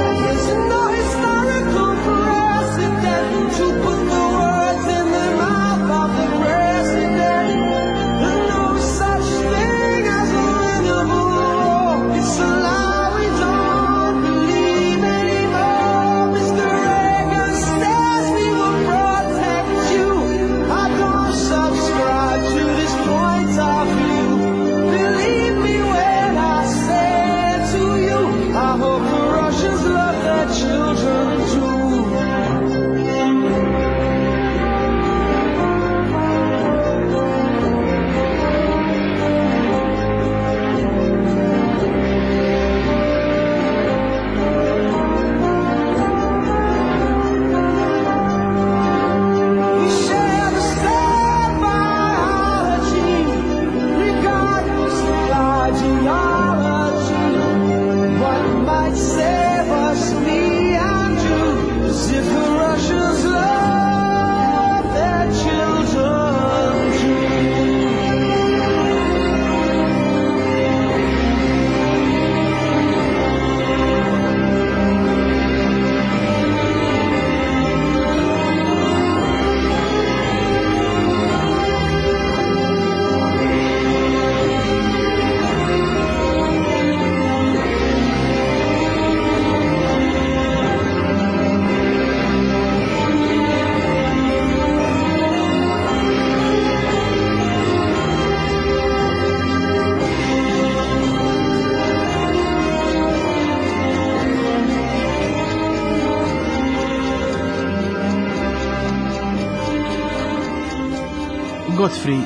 There is no historical precedent to put the words in the mouth of the president. There's no such thing as a winnable war. It's a lie we don't believe anymore. Mister Reagan says we will protect you. I don't subscribe to this point of view. Believe me when I say to you, I hope the Russians love their children too. We share the same biology, regardless of ideology. What might save us, me and you, is if the Russians love their children too. Godfrey,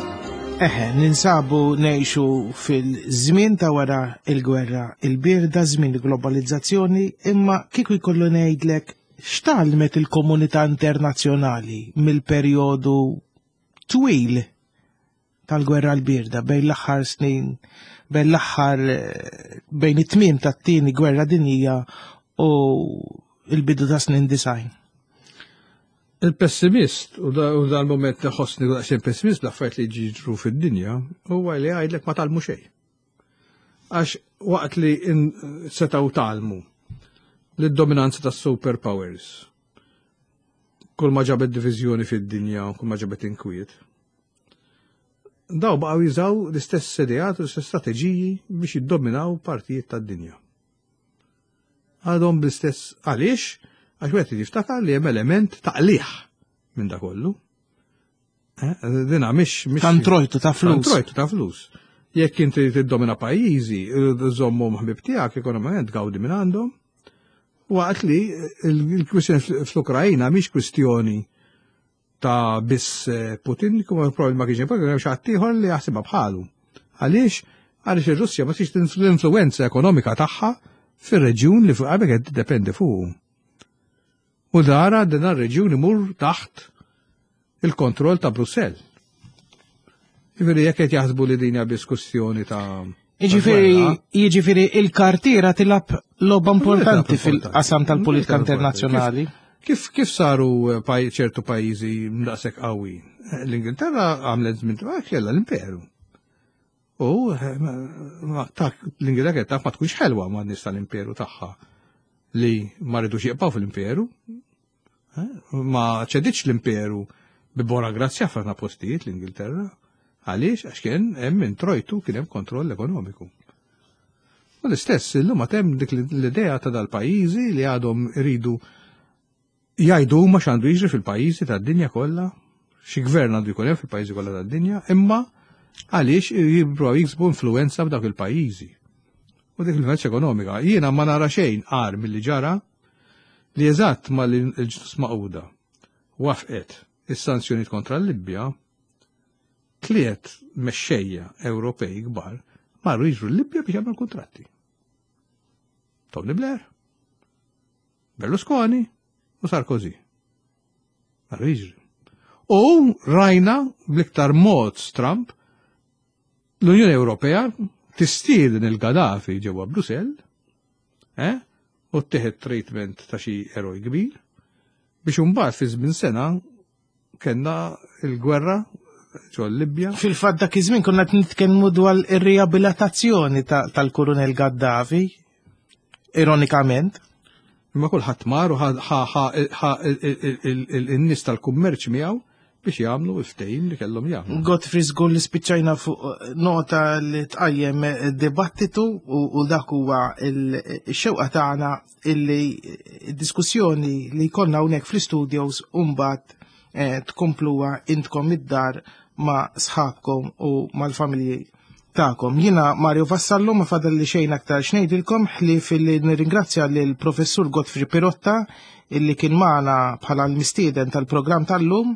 eħe, ninsabu ngħixu fil-żmien ta' wara il-gwerra il-birda, żmien il-globalizzazzjoni, imma kieku jkollu ngħidlek x'tgħallmet il-komunità internazzjonali mill-perjodu twil tal-gwerra l-birda bejn l-aħħar snin, bejn l-aħħar, eh, bejn it-tmiem tat-tieni gwerra dinjija u l-bidu ta' snin disgħin. Il-pessimist, u da- u dal-moment li ħossni daqsxejn pessimist l-affarijiet li jiġru fid-dinja, huwa li jgħidlek ma tgħallmu xejn. Għax waqt li in- setgħu tgħallmu li d-dominanza tas superpowers, kull ma ġabet diviżjoni fid-dinja, kull ma ġabet inkwiet, daw baqgħu jużaw l-istess ideat u l-istess strateġiji biex jiddominaw partijiet tad-dinja. Għadhom bl-istess għaliex, għax wieħed jiftakar li hemm element ta' qligħ minn da kollu. Eh, Dina mhix mhix Ta' introjtu ta' flus. Ta' introjtu ta' flus. Jekk inti tiddomina pajjiżi, żommhom ħbib tiegħek ekonomikament gawdi minn għandhom. Waqt li il-kwistjoni fl-Ukrajna mhix kwistjoni ta' biss Putin, kuma probabbli ma kienx hemm hemm xi ħadd ieħor li jaħsibha bħalu. Għaliex? Għaliex ir-Russja ma tix l-influenza ekonomika tagħha fir-reġjun li fuq qabel qed tiddependi fuqu. U dara din ar-reġjun imur taħt il-kontroll ta' Brussell. Jiġifieri jekk qed jaħsbu li din hija biss kwestjoni ta' Jiġifieri ta' gwerra, jiġifieri il-kartiera tilgħab logħba importanti importanti. fil-qasam tal-politika Importanti. internazzjonali. Kif, kif saru eh, paj, ċertu pajjiżi daqshekk qawwi? Eh, L-Ingilterra għamlet żmien ta' kellha l-imperu. U eh, ma- ma- ta' l-Ingilterra kienet taf ma tkunx ħelwa ma' nies tal-imperu tagħha li ma ridux jibqgħu fil-imperu. Eh, Ma ċeditx l-imperu bi bona grazzja f'ħafna postijiet l-Ingilterra. Għaliex? Għax kien hemm introjtu kien hemm kontroll ekonomiku. U l-istess, illum għad hemm dik l-idea ta' dal-pajjiżi li għadhom iridu jgħidu huma x'għandu jiġri fil-pajjiżi tad-dinja kollha, xi gvern għandu jkun hemm fil-pajjiżi kollha tad-dinja, imma għaliex jippruvaw jiksbu influenza f'dawk il-pajjiżi. U dik l-influenza ekonomika. Jiena ma nara xejn agħar milli ġara li eżatt ma l-Ġnus Magħquda wafqet is-sanzjonijiet kontra l-Libja, tliet mexxejja Ewropej kbar marru jiġru l-Libja biex jagħmlu kontratti. Tony Blair, Berlusconi u Sarkozy. Marru jiġri. U rajna bl-iktar mod Trump l-Unjoni Ewropea tistieden il-Gaddafi ġewwa Brussell, eh? U ttih treatment ta' xi eroj kbir, biex imbagħad fi żmien sena kellna il-gwerra ġo Libja. Fil-fatt dak iż-żmien konna qed nitkellmu dwar ir-riabilitazzjoni ta- tal-Kurunel Gaddafi, ironikament. Imma kulħadd mar u ħa- ħa- ħa- ħa- il-nies tal-kummerċ miegħu biex jagħmlu il-ftehim li kellhom jagħmlu. Godfrey, żgur li spiċċajna fuq eh, nota li tqajjem eh, dibattitu u, u dak huwa il-xewqa tagħna illi diskussjoni li jkollna hawnhekk fl-studios u mbagħad eh, tkompluha intkom id-dar ma' sħabkom u mal-familji tagħkom. Jiena Mario Vassallo, ma fadal li xejn aktar x'ngħidilkom ħlief li nirringrazzja lil professur Godfrey Pirotta illi kien magħna bħala l-mistieden tal-programm tal-lum,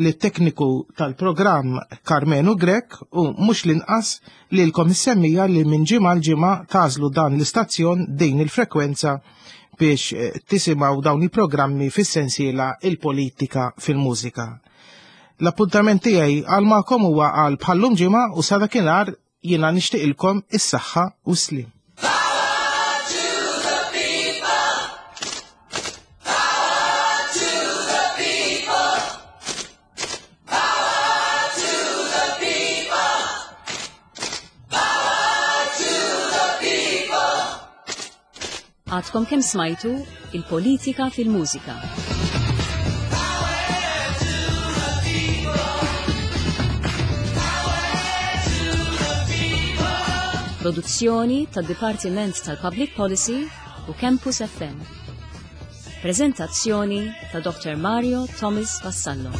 li tekniku tal-programm Carmenu Grek u mhux l-inqas li lilkom is-semmiegħa li minn ġimgħa l-ġimgħa tagħżlu dan l-istazzjon, din il-frekwenza, biex eh, tisimgħu dawn il-programmi fis-sensiela Il-Politika fil-Mużika. L-appuntament tiegħi għal magħkom huwa għal bħallum ġimgħa u sa dakinhar jiena nixtieqilkom is-saħħa u slim. Power to the people! Power to the people! Power to the people! Power to the people! Għadkom kemm smajtu Il-Politika fil-Mużika. Power to the people! Power to the people! Produzzjoni tad-Dipartiment tal-Public Policy u Campus F M. Prezentazzjoni ta' Doctor Mario Thomas Vassallo.